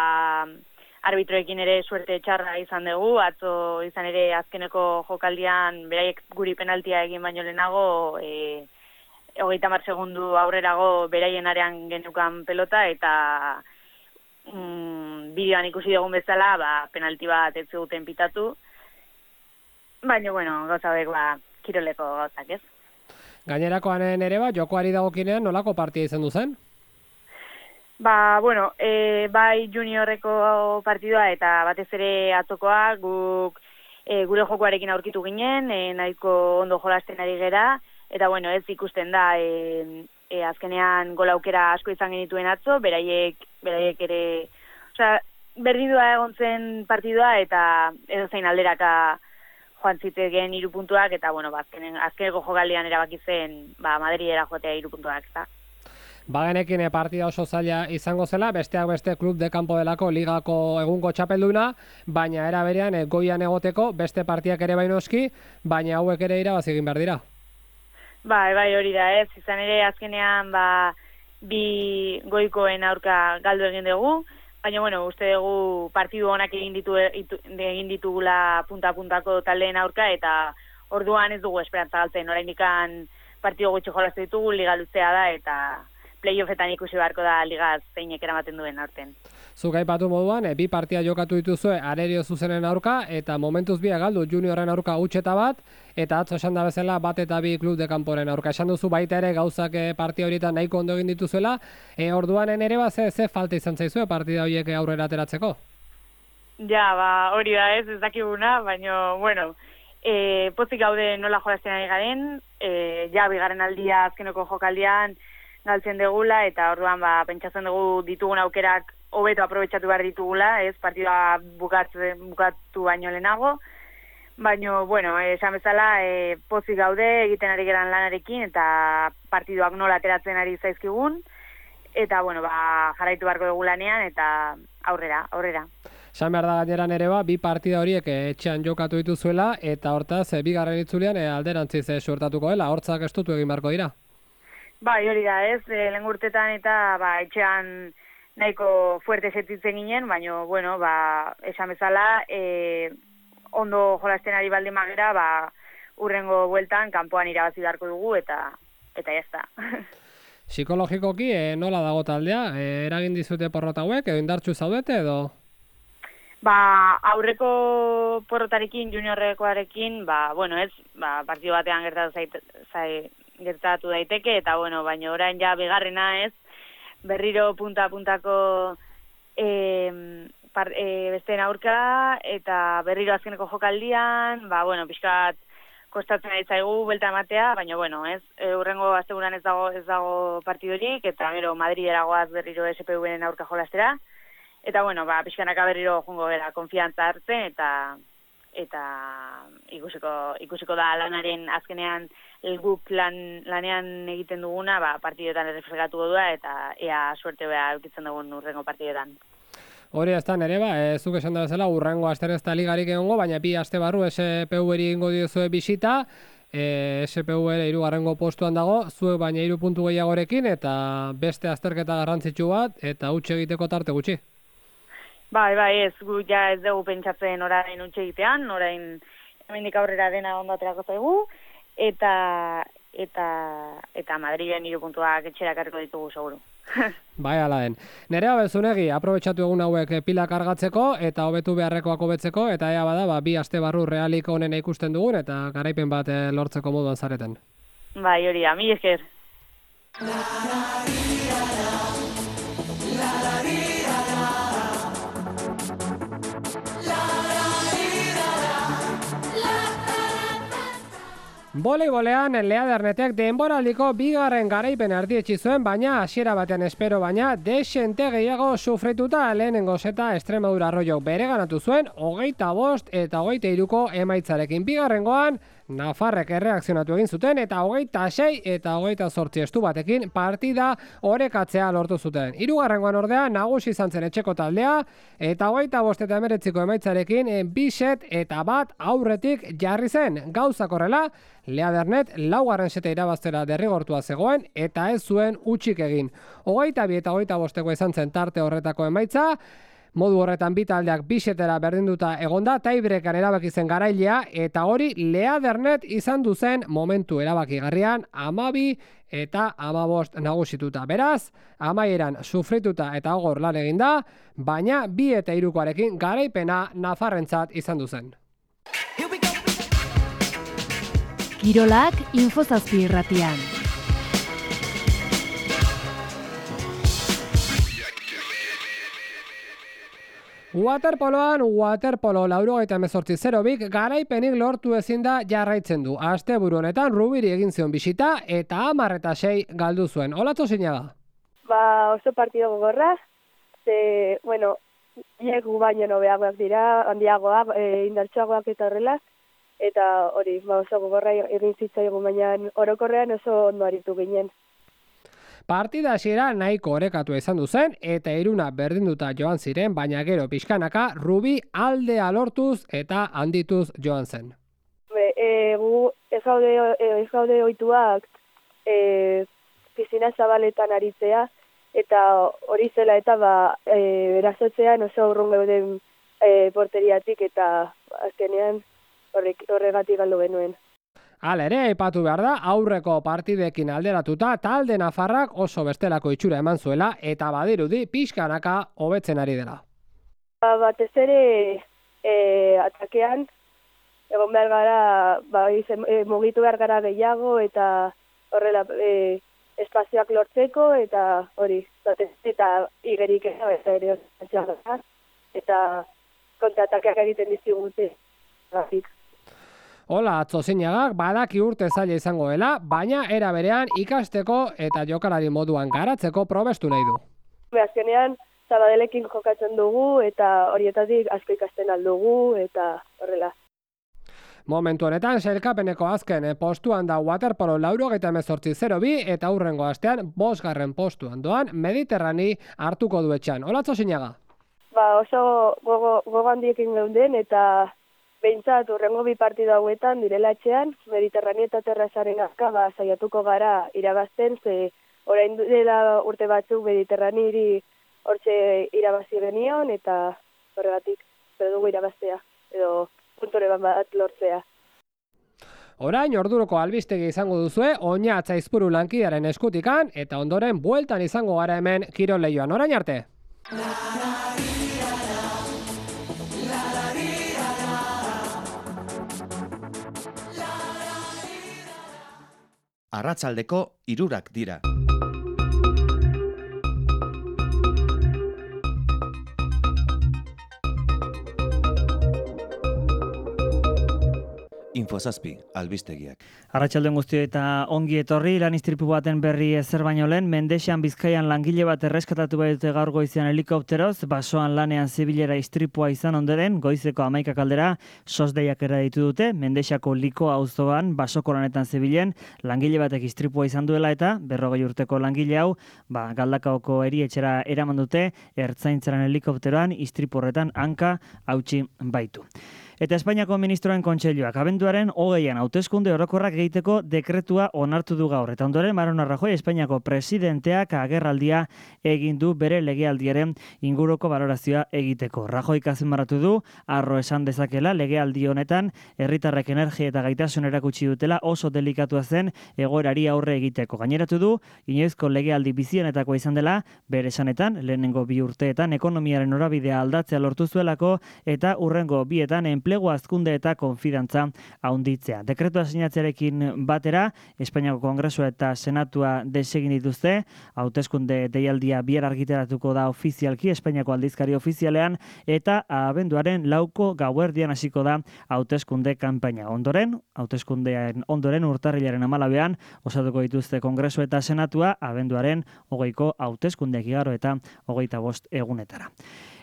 arbitroekin ere suerte txarra izan dugu, atzo izan ere azkeneko jokaldian beraiek guri penaltia egin baino lehenago e, hogeita hamar segundu aurrerago beraien arean genukan pelota eta mm, bideoan ikusi dugun bezala ba, penalti bat ez zuten pitatu. Baina, bueno, gauza hauek ba, kiroleko gauzak ez. Gainerakoanen ere ba, jokoari dagokinean nolako partia izan du zen? Ba, bueno, e, bai juniorreko partidua eta batez ere atzokoa guk e, gure jokoarekin aurkitu ginen, e, nahiko ondo jolasten ari gera. Eta, bueno, ez ikusten da, e, e, azkenean gola aukera asko izan genituen atzo, beraiek, beraiek ere, osea, berdindua egon zen partidua eta edo zein alderaka joan zitzegen hiru puntuak eta, bueno, ba, azkenen, azkeneko jokaldian erabaki zen, ba, Madridera joatea hiru puntuak, eta. Bagenekin partida oso zaila izango zela, besteak beste klub de campo delako ligako egungo txapelduna, baina era berean goian egoteko beste partiak ere bainoski, baina hauek ere irabazi egin behar dira. Bai, bai, hori da, ez. Izan ere, azkenean, ba, bi goikoen aurka galdu egin dugu, baina, bueno, uste dugu partidu honak egin, ditu, egin ditugula punta-puntako taldeen aurka, eta orduan ez dugu esperantza galtzen, oraindikan partidu gutxi jolastu ditugu, liga luzea da, eta playoffetan ikusi beharko da liga zeinek eramaten duen aurten. Zuk aipatu moduan, e, bi partia jokatu dituzue Arerio zuzenen aurka, eta momentuz bi galdu juniorren aurka utxeta bat, eta atzo esan da bezala bat eta bi klub de kanporen aurka. Esan duzu baita ere gauzak partia horietan nahiko ondo egin dituzuela, e, orduanen ere ba ze, ze falta izan zaizue partida horiek aurrera ateratzeko? Ja, ba, hori da ez, ez dakiguna, baina, bueno, e, pozik gaude nola jolazten ari garen, e, ja, bigarren aldia azkeneko jokaldian galtzen degula, eta orduan ba, pentsatzen dugu ditugun aukerak hobeto aprobetxatu behar ditugula, ez, partidua bukatu, bukatu baino lehenago, baina, bueno, esan bezala, e, pozik gaude egiten ari geran lanarekin, eta partiduak nola ateratzen ari zaizkigun, eta, bueno, ba, jarraitu beharko dugu lanean, eta aurrera, aurrera. Esan behar da gaineran ere ba, bi partida horiek etxean jokatu dituzuela, eta hortaz, e, bigarren itzulian e, alderantziz e, suertatuko dela, hortzak estutu egin beharko dira. Bai, hori da, ez, e, lehen urtetan eta ba, etxean nahiko fuerte setitzen ginen, baina, bueno, ba, esan bezala, e, ondo jolasten ari baldin magera, ba, urrengo bueltan, kanpoan irabazi beharko dugu, eta eta jazta. Psikologikoki, e, nola dago taldea? E, eragin dizute porrota hauek, edo indartsu zaudete, edo? Ba, aurreko porrotarekin, juniorrekoarekin, ba, bueno, ez, ba, partido batean gertatu, zait, zai, gertatu daiteke, eta, bueno, baina orain ja bigarrena ez, berriro punta-puntako e, par, e, besteen aurka, eta berriro azkeneko jokaldian, ba, bueno, pixkat kostatzen ari zaigu belta ematea, baina, bueno, ez, e, urrengo asteguran ez dago, ez dago partidorik, eta gero Madridera goaz berriro S P V-en aurka jolastera. Eta, bueno, ba, pixkanaka berriro jungo gara konfiantza hartzen, eta eta ikusiko, ikusiko da lanaren azkenean guk lan, lanean egiten duguna, ba, partidoetan errefregatuko duda, eta ea suerte beha eukitzen dugun urrengo partidoetan. Hori ez da, nere ba, e, zuk esan da bezala, urrengo aster ez da ligarik egongo, baina bi aste barru S P V-eri ingo diozue bisita, e, S P V-ere hirugarrengo postuan dago, zuek baina hiru puntu gehiagorekin, eta beste azterketa garrantzitsu bat, eta huts egiteko tarte gutxi. Bai, bai, ez, gu ja ez dugu pentsatzen orain utxe egitean, orain hemendik aurrera dena ondo aterako zaigu, eta eta eta Madrilen hiru puntuak etxera ekarriko ditugu seguru. Bai, ala den. Nerea Belzunegi, aprobetxatu egun hauek pila kargatzeko eta hobetu beharrekoak hobetzeko, eta ea bada, ba, bi aste barru realik onena ikusten dugun, eta garaipen bat lortzeko moduan zareten. Bai, hori da, mil esker. Voleibolean Lea Dernetek denboraldiko bigarren garaipen erdietsi zuen, baina hasiera batean espero baina desente gehiago sufrituta lehenengo seta Extremadura Arroyok bereganatu zuen hogeita bost eta hogeita hiruko emaitzarekin. Bigarrengoan Nafarrek erreakzionatu egin zuten eta hogeita sei eta hogeita zortzi estu batekin partida orekatzea lortu zuten. Hirugarrengoan ordea nagusi izan zen etxeko taldea eta hogeita bost eta hemeretziko emaitzarekin bi set eta bat aurretik jarri zen. Gauzak horrela, Lea Dernet laugarren seta irabaztera derrigortua zegoen eta ez zuen hutsik egin. Hogeita bi eta hogeita bosteko izan zen tarte horretako emaitza, modu horretan bi taldeak bi setera berdinduta egonda, tiebreakan erabaki zen garailea, eta hori Lea Dernet izan duzen momentu erabakigarrian hamabi eta hamabost nagusituta. Beraz, amaieran sufrituta eta gogor lan eginda, baina bi eta hirukoarekin garaipena Nafarrentzat izan duzen. Kirolak Infozazpi irratian. Waterpoloan, waterpolo laurogeita hemezortzi zero bik garaipenik lortu ezin da jarraitzen du. Asteburu honetan Rubiri egin zion bisita eta hamar eta sei galdu zuen. Olatzo Zinaga? Ba, oso partido gogorra, ze, bueno, iegu baino nobeagoak dira, handiagoak, e, indartsuagoak eta horrela, eta hori, ba, oso gogorra egin zitzaigun, baina orokorrean oso ondo aritu ginen. Partida hasiera nahiko orekatu izan du zen eta iruna berdinduta joan ziren, baina gero pixkanaka Rubi aldea lortuz eta handituz joan zen. Be, e, gu ez gaude, ez gaude ohituak e, pizina zabaletan aritzea, eta hori zela eta ba, e, erazotzean oso urrun geuden e, porteriatik eta azkenean horrek, horregatik galdu genuen. Hala ere, aipatu behar da, aurreko partidekin alderatuta talde nafarrak oso bestelako itxura eman zuela eta badirudi pixkanaka hobetzen ari dela. Ba, batez ere e, atakean, egon behar gara, ba, izen, e, mugitu behar gara gehiago eta horrela e, espazioak lortzeko eta hori, batez eta igerik eta ere eta kontratakeak egiten dizigute. Gatik. Hola, Atzo Zinagak badaki urte zaila izango dela, baina era berean ikasteko eta jokalari moduan garatzeko probestu nahi du. Azkenean, Zabadelekin jokatzen dugu eta horietatik asko ikasten aldugu eta horrela. Momentu honetan, sailkapeneko azken postuan da waterpolo laurogeita hemezortzi zero bi eta hurrengo astean bosgarren postuan doan Mediterrani hartuko du etxean. Hola, Atzo Zinaga? Ba, oso gogo, gogo handiekin geunden eta behintzat urrengo bi partida hauetan direla etxean, Mediterrani eta Terrazaren azka ba, saiatuko gara irabazten, ze orain dela urte batzuk Mediterraniri hortxe irabazi genion, eta horregatik dugu irabaztea, edo puntore bat lortzea. Orain orduroko albistegi izango duzue, Oñatz Aizpuru lankidearen eskutikan, eta ondoren bueltan izango gara hemen Kirol Leioan. Orain arte! arratsaldeko hirurak dira. Infozazpi, albistegiak. Arratsaldeon guztioi eta ongi etorri, lan istripu baten berri ezer baino lehen, Mendexan Bizkaian langile bat erreskatatu baitute gaur goizean helikopteroz, basoan lanean zibilera istripua izan ondoren, goizeko hamaikak aldera, sosdeiak era ditu dute, Mendexako Liko auzoan basoko lanetan zibilen, langile batek istripua izan duela eta berrogei urteko langile hau, ba, Galdakaoko erietxera eraman dute, ertzaintzaren helikopteroan istripu horretan hanka hautsi baitu. Eta Espainiako Ministroen Kontseiluak abenduaren hogeian hauteskunde orokorrak egiteko dekretua onartu du gaur. Eta ondoren Mariano Rajoy Espainiako presidenteak agerraldia egin du bere legealdiaren inguruko balorazioa egiteko. Rajoy azpimarratu du harro esan dezakela legealdi honetan herritarrek energia eta gaitasun erakutsi dutela oso delikatua zen egoerari aurre egiteko. Gaineratu du inoizko legealdi bizienetakoa izan dela bere esanetan lehenengo bi urteetan ekonomiaren norabidea aldatzea lortu zuelako eta hurrengo bietan enplegu hazkunde eta konfidantza handitzea. Dekretua sinatzearekin batera, Espainiako Kongresua eta Senatua desegin dituzte, hauteskunde deialdia bihar argitaratuko da ofizialki Espainiako aldizkari ofizialean eta abenduaren lauko gauerdian hasiko da hauteskunde kanpaina. Ondoren, hauteskundean ondoren urtarrilaren hamalauean osatuko dituzte Kongresua eta Senatua abenduaren hogeiko hauteskundeak igaro eta hogeita bost egunetara.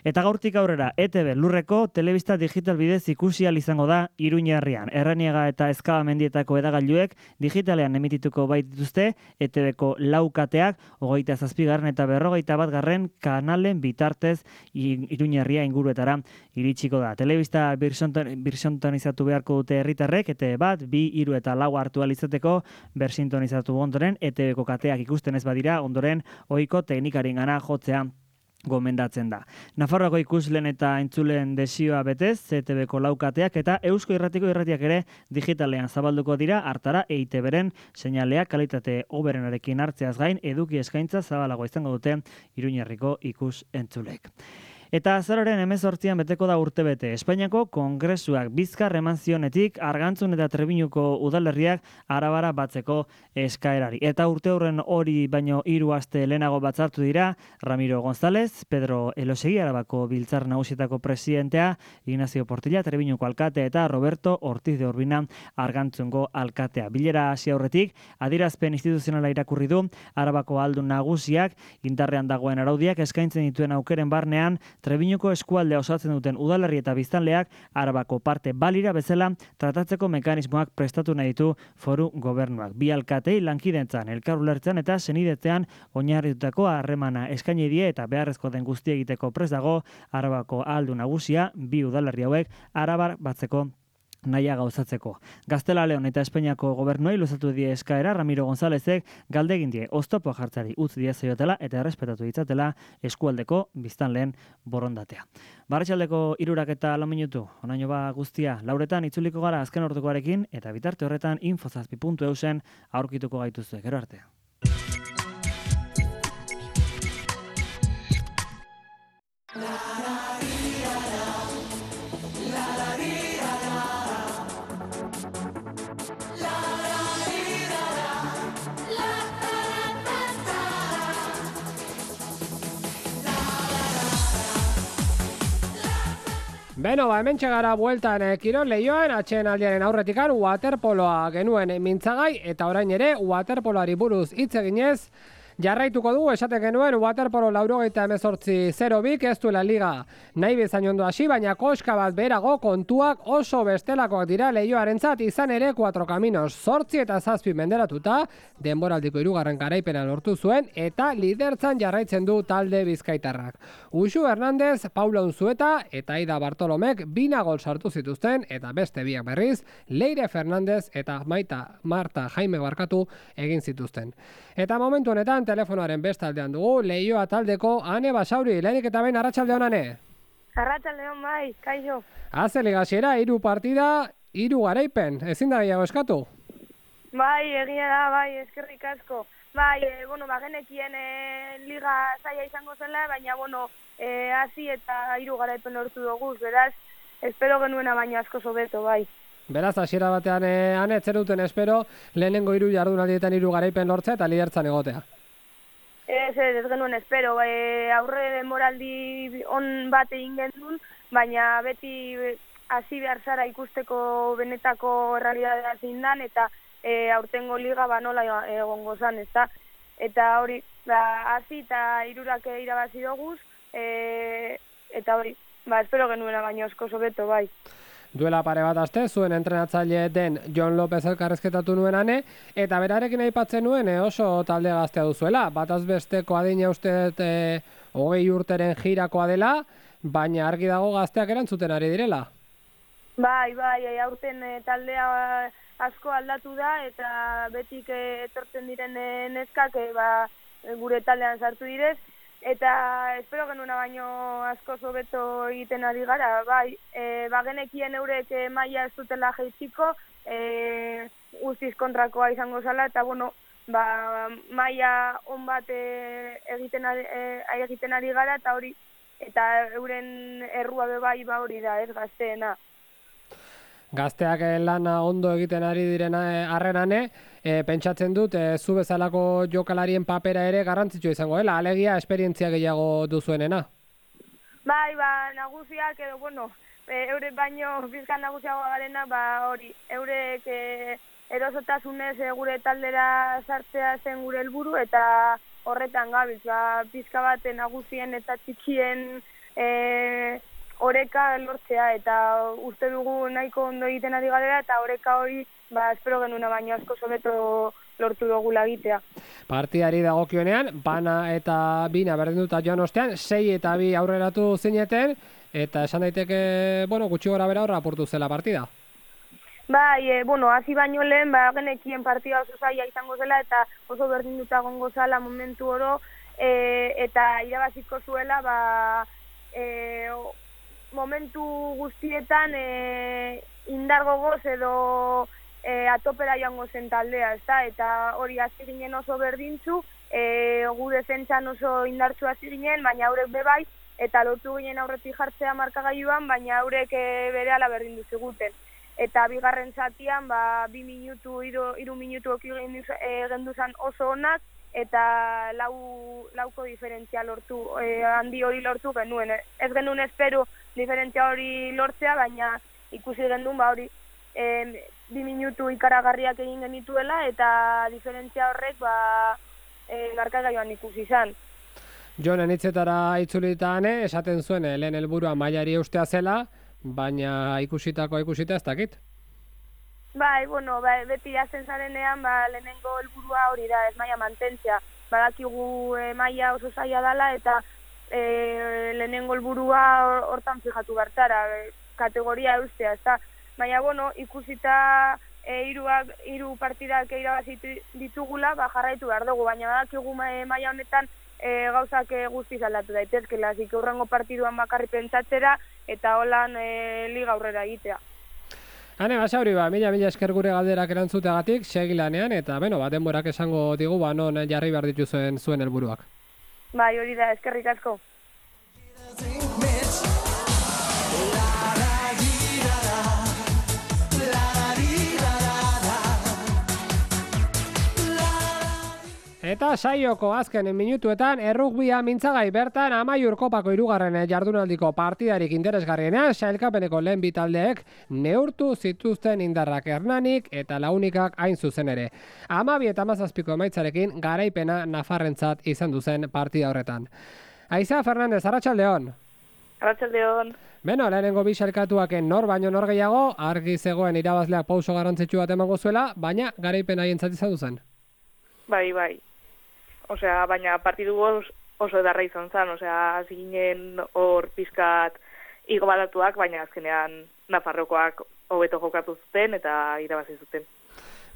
Eta gaurtik aurrera, E T B lurreko telebista digital bidez ikusi ahal izango da Iruñerrian. Erraniaga eta Ezkaba mendietako edagailuek digitalean emitituko baitituzte E T Bko laukateak, hogeita zazpigarren eta berrogeita batgarren kanalen bitartez Iruñerria inguruetara iritsiko da. Telebista birsintonizatu beharko dute herritarrek, E T B bat, bi, hiru eta lau hartu ahal izateko bersintonizatu ondoren, E T Bko kateak ikusten ez badira, ondoren ohiko teknikaringana jotzea gomendatzen da. Nafarroako ikusleen eta entzuleen desioa betez, E T Bko laukateak eta Eusko Irratiko irratiak ere digitalean zabalduko dira, hartara E I T Bren seinaleak kalitate hoberenarekin hartzeaz gain eduki eskaintza zabalago izango dute Iruñerriko ikus entzulek. Eta azaroaren hemezortzian beteko da urtebete. Espainiako Kongresuak bizkar eman zionetik Argantzun eta Trebiñuko udalerriak arabara batzeko eskaerari. Eta urte horren hori baino hiru aste lehenago batzartu dira Ramiro González, Pedro Elosegi Arabako Biltzar Nagusietako presidentea, Ignacio Portilla Trebiñuko alkatea eta Roberto Ortiz de Urbina Argantzungo alkatea. Bilera hasi aurretik adierazpen instituzionala irakurri du Arabako aldun nagusiak indarrean dagoen araudiak eskaintzen dituen aukeren barnean Trebiñuko eskualdea osatzen duten udalerri eta biztanleak Arabako parte balira bezala tratatzeko mekanismoak prestatu nahi ditu foru gobernuak. Bi alkatei lankidentzan, elkar ulertzen eta senidetzean oinarritutako harremana eskaini die eta beharrezko den guztia egiteko prest dago Arabako ahaldun nagusia bi udalerri hauek arabar batzeko naia gauzatzeko. Gaztela Leon eta Espainiako gobernuei luzatu die eskaera Ramiro Gonzálezek galde egin die oztopo jartzari utz diezaiotela eta errespetatu ditzatela eskualdeko biztanleen borondatea. Barratxaldeko hirurak eta lau minutu, onaino ba guztia, lauretan itzuliko gara azken ordukoarekin eta bitarte horretan infozazpi puntu eusen aurkituko gaituzue. Gero arte. Beno, ba, hemen txegara bueltan eh, Kirol Leioan, atxeen aldiaren aurretikan waterpoloa genuen mintzagai eta orain ere waterpoloari buruz hitz eginez jarraituko dugu, esaten genuen waterpolo laurogeita hemezortzi zero bik ez duela liga nahi bezain ondo hasi, baina koska bat berago kontuak oso bestelakoak dira Leioarentzat, izan ere Cuatro Caminos zortzi eta zazpi menderatuta denboraldiko hirugarren garaipena lortu zuen eta lidertzan jarraitzen du talde bizkaitarrak. Uxu Hernández, Paula Unzueta eta Aida Bartolomek bina gol sartu zituzten eta beste biak berriz Leire Fernández eta Maita Marta Jaime Barkatu egin zituzten. Eta momentu honetan telefonoaren bestaldean dugu Leioa taldeko Ane Basauri. Lehenik eta behin arratsalde on, Ane. Arratsalde on, bai, kaixo. Haze ligasiera, hiru partida, hiru garaipen. Ezin da gehiago eskatu? Bai, egia da, bai, eskerrik asko. Bai, e, bueno, bagenekien e, liga zaila izango zela, baina, bueno, e, hasi eta hiru garaipen lortu dugu, beraz, espero genuena baina asko sobeto, bai. Beraz, hasiera batean eh, ane, ez zenuten espero, lehenengo hiru jardunaldietan hiru garaipen lortzea eta lidertzan egotea. Ez, ez, ez genuen espero, e, aurre moraldi on bat egin genuen, baina beti hasi behar zara ikusteko benetako errealitatea zein dan, eta e, aurtengo liga ba nola egongo zan, ezta? Eta hori, ba, hasi eta hirurak irabazi doguz, e, eta hori, ba, espero genuena baino asko sobeto, bai. Duela pare bat aste, zuen entrenatzaile den Jon Lopez elkarrezketatu nuen ane, eta berarekin aipatzen nuen e, oso talde gaztea duzuela. Bataz besteko adina uste e, hogei urteren jirakoa dela, baina argi dago gazteak erantzuten ari direla. Bai, bai, aurten e, taldea asko aldatu da, eta betik e, etortzen diren e, neskak e, ba, gure taldean sartu direz, eta espero genuna baino asko sobeto egiten ari gara, bai, e, bagenekien eurek e, maila ez dutela jaitsiko, e, guztiz kontrakoa izango zala, eta bueno, ba, maila on bat e, egiten, ari, e, egiten ari gara, eta hori, eta euren errua be bai ba hori da, ez gazteena. Gazteak lana ondo egiten ari direna harrenane, e, pentsatzen dut, e, zu bezalako jokalarien papera ere garrantzitsua izango dela, alegia esperientzia gehiago duzuenena. Bai, ba, nagusiak edo, bueno, e, eurek baino bizkan nagusiagoa garena, ba, hori, eurek e, erosotasunez e, gure taldera sartzea zen gure helburu eta horretan gabiltz, ba, pizka bat nagusien eta txikien e, oreka lortzea, eta uste dugu nahiko ondo egiten ari garela, eta oreka hori, ba, espero genuna baino asko sobeto lortu dugu lagitea. Partidari dagokionean, bana eta bina berdin dut joan ostean, sei eta bi aurreratu zineten, eta esan daiteke, bueno, gutxi gora bera horra aportu zela partida. Bai, e, bueno, hasi baino lehen, ba, genekien partida oso zaila izango zela, eta oso berdin dut agongo zala momentu oro, e, eta irabaziko zuela, ba, e, momentu guztietan e, indar gogoz edo e, atopera joango zen taldea, ezta? Eta hori hasi ginen oso berdintzu, e, gu defentsan oso indartsu hasi ginen, baina haurek bebai, eta lortu ginen aurretik jartzea markagailuan, baina haurek e, berehala berdindu ziguten. Eta bigarren zatian, ba, bi minutu, iru, iru minutu oki genduzan oso onak, eta lau, lauko diferentzia lortu, e, handi hori lortu genuen. Ez genuen espero diferentzia hori lortzea, baina ikusi gendun ba hori e, bi minutu ikaragarriak egin genituela, eta diferentzia horrek ba, e, markagailuan ikusi izan. Jonen hitzetara itzulitan esaten zuen lehen helburua mailari eustea zela, baina ikusitako ikusita ez dakit. Bai, bueno, bai, beti hasten zarenean, ba, lehenengo helburua hori da, ez maila mantentzia. Badakigu e, maila oso zaila dela, eta e, lehenengo helburua hortan fijatu bertara, e, kategoria eustea, ez da. Baina, bueno, ikusita e, iruak, iru partidak irabazitu ditugula, ba, jarraitu behar dugu, baina badakigu maila honetan e, gauzak e, guztiz aldatu daitezkela, zik urrengo partiduan bakarri pentsatzera, eta holan e, liga aurrera egitea. Hane, basauri ba, mila mila esker gure galderak erantzuteagatik, segi lanean, eta beno, ba, denborak esango digu, ba, non jarri behar dituzuen zuen helburuak. Bai, hori da, eskerrik asko. Eta saioko azken minutuetan errugbia mintzagai bertan Amaiur Kopako hirugarren jardunaldiko partidarik interesgarrienean sailkapeneko lehen bi taldeek neurtu zituzten indarrak Hernanik eta Launikak hain zuzen ere. Hamabi eta hamazazpiko emaitzarekin garaipena nafarrentzat izan duzen partida horretan. Aiza Fernandez, arratsaldeon. Arratsaldeon. Beno, lehenengo bi sailkatuak nor baino nor gehiago, argi zegoen irabazleak pauso garrantzitsu bat emango zuela, baina garaipena haientzat izan duzen. Bai, bai. Osea, baina partidu oso edarra izan zen, osea, hasi ginen hor pizkat igo badatuak, baina azkenean Nafarrokoak hobeto jokatu zuten eta irabazi zuten.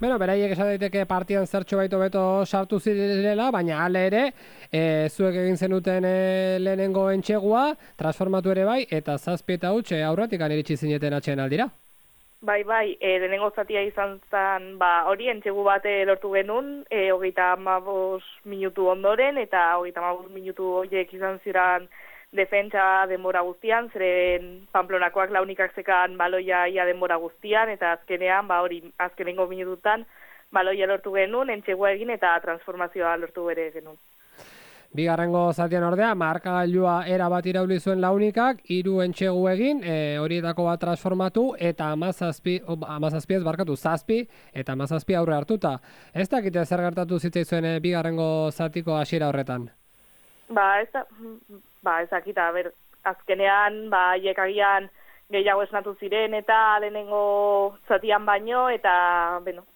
Beno, beraiek esan daiteke partidan zertxo baito beto sartu zirela, baina ale ere, e, zuek egin zenuten e, lehenengo entxegua, transformatu ere bai, eta zazpi eta huts aurretik iritsi zineten atxeen aldira. Bai, bai, e, lehenengo zatia izan zen, ba, hori entxegu bate lortu genuen, e, hogeita hamabos minutu ondoren, eta hogeita hamabos minutu horiek izan ziren defentsa denbora guztian, zeren Pamplonakoak launikak zekan baloia ia denbora guztian, eta azkenean, ba hori, azkenengo minututan, baloia lortu genuen, entxegua egin eta transformazioa lortu bere genuen. Bigarrengo zatian ordea, markagailua era bat irauli zuen launikak, hiru entxegu egin, e, horietako bat transformatu, eta amazazpi, amazazpi ez barkatu, zazpi, eta amazazpi aurre hartuta. Ez dakite zer gertatu zitzaizuen e, bigarrengo zatiko hasiera horretan? Ba, ez da, ba, ez dakita, ber, azkenean, ba, haiek agian gehiago esnatu ziren, eta lehenengo zatian baino, eta, beno,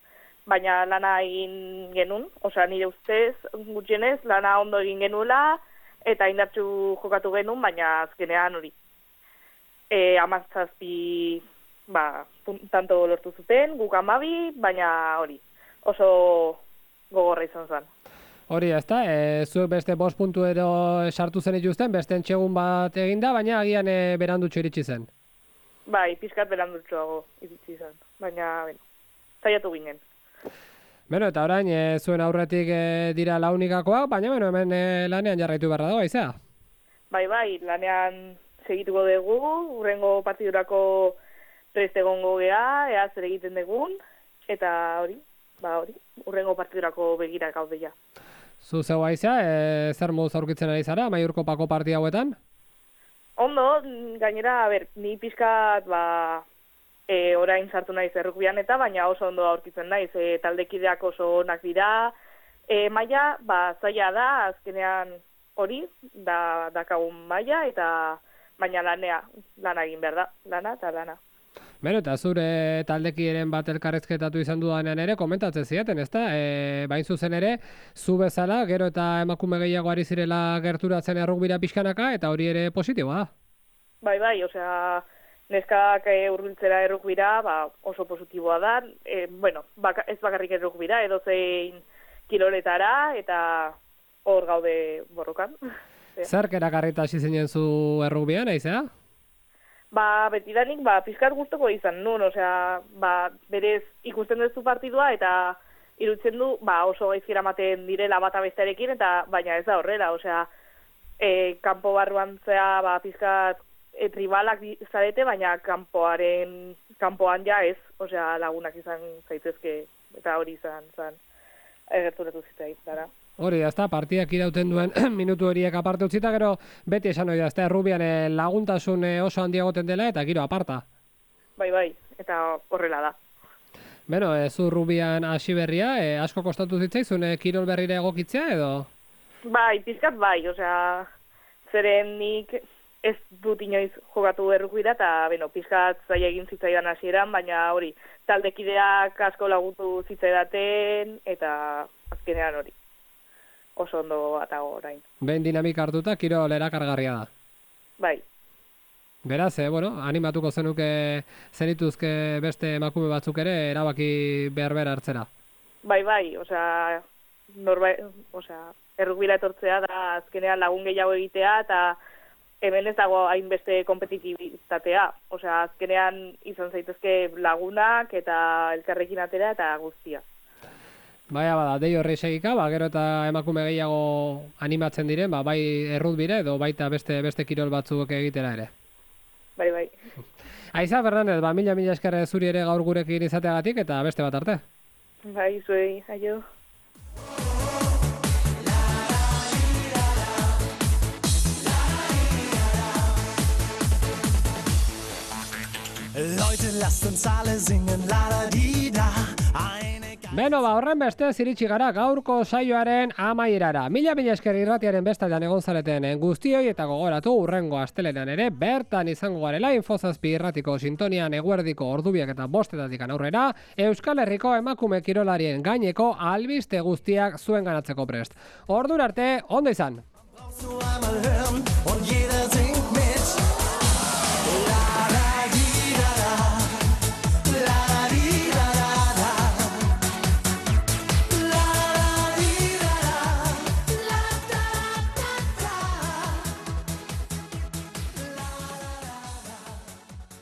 baina lana egin genuen, osea nire ustez gutxienez lana ondo egin genuela eta indartsu jokatu genuen, baina azkenean hori. E, amazazpi ba, tanto lortu zuten, guk amabi, baina hori, oso gogorra izan zen. Hori ez da, e, zuek beste bost puntu ero sartu zen ituzten, beste entxegun bat eginda, baina agian e, berandutxo iritsi zen. Bai, pixkat berandutxoago iritsi zen, baina, bueno, zaiatu ginen. Beno, eta orain, e, zuen aurretik e, dira launikakoak, baina beno, hemen e, lanean jarraitu beharra dago, aizea? Bai, bai, lanean segituko dugu, urrengo partidurako prest egongo gea, ea zer egiten dugun, eta hori, ba hori, urrengo partidurako begira gaude ja. Zu zeu aizea, e, zer moduz aurkitzen ari zara, Maiurko pako partida hauetan? Ondo, gainera, a ber, ni pixkat, ba, E, orain sartu naiz errukbian eta baina oso ondo aurkitzen naiz, e, taldekideak oso onak dira, e, maila, ba, zaila da, azkenean hori, da, dakagun maila, eta baina lanea, lana egin behar da, lana eta lana. Beno, eta zure taldekiren bat elkarrezketatu izan dudanean ere, komentatzen ziaten, ezta? E, bain zuzen ere, zu bezala, gero eta emakume gehiago ari zirela gerturatzen errukbira pixkanaka, eta hori ere positiboa. Bai, bai, osea, neskak e, urbiltzera errukbira, ba, oso positiboa da, e, bueno, baka, ez bakarrik errukbira, edo zein kiloletara, eta hor gaude borrokan. Zerk erakarrita hasi zinen zu errukbian, aizea? Ba, betidanik, ba, pizkat guztoko izan nun, osea, ba, berez ikusten duzu partidua, eta irutzen du, ba, oso gaizkira maten direla bata bestearekin, eta baina ez da horrela, osea, e, kanpo barruan zea, ba, pizkat, E, tribalak zarete, baina kanpoaren kanpoan ja ez, osea lagunak izan zaitezke, eta hori izan zan egerturatu zitzait, dara. Hori, ez da, partidak irauten duen minutu horiek aparte utzita, gero beti esan hori da, ez da, errubian laguntasun oso handiagoten dela, eta giro aparta. Bai, bai, eta horrela da. Beno, e, zu rubian hasi berria, e, asko kostatu zitzaizun e, kirol berrira egokitzea, edo? Bai, pizkat bai, osea, zeren nik ez dut inoiz jokatu errukbira, eta, beno, pizkat zaila egin zitzaidan hasieran, baina hori, taldekideak asko laguntu zitzaidaten, eta azkenean hori, oso ondo atago orain. Behin dinamika hartuta, kirol erakargarria da. Bai. Beraz, eh, bueno, animatuko zenuke zenituzke beste emakume batzuk ere erabaki behar behar hartzera. Bai, bai, osea, norba, osea, errukbira etortzea da azkenean lagun gehiago egitea, eta hemen ez dago hainbeste kompetitibitatea. Osea, azkenean izan zaitezke lagunak eta elkarrekin atera eta guztia. Baina bada, dei horri segika, ba, gero eta emakume gehiago animatzen diren, ba, bai errutbire edo baita beste beste kirol batzuk egitera ere. Bai, bai. Aiza, Fernandez, ba, mila mila esker zuri ere gaur gurekin izateagatik eta beste bat arte. Bai, zuei, aio. Leute, lasst uns alle singen, la da di da. Beno, ba, horren beste ziritsi gara gaurko saioaren amaierara. Mila mila esker irratiaren bestaldean egon zareten guztioi eta gogoratu urrengo astelenan ere bertan izango garela Infozazpi irratiko sintonian eguerdiko ordubiak eta bostetatik aurrera Euskal Herriko emakume kirolarien gaineko albiste guztiak zuen ganatzeko prest. Ordura arte, ondo izan!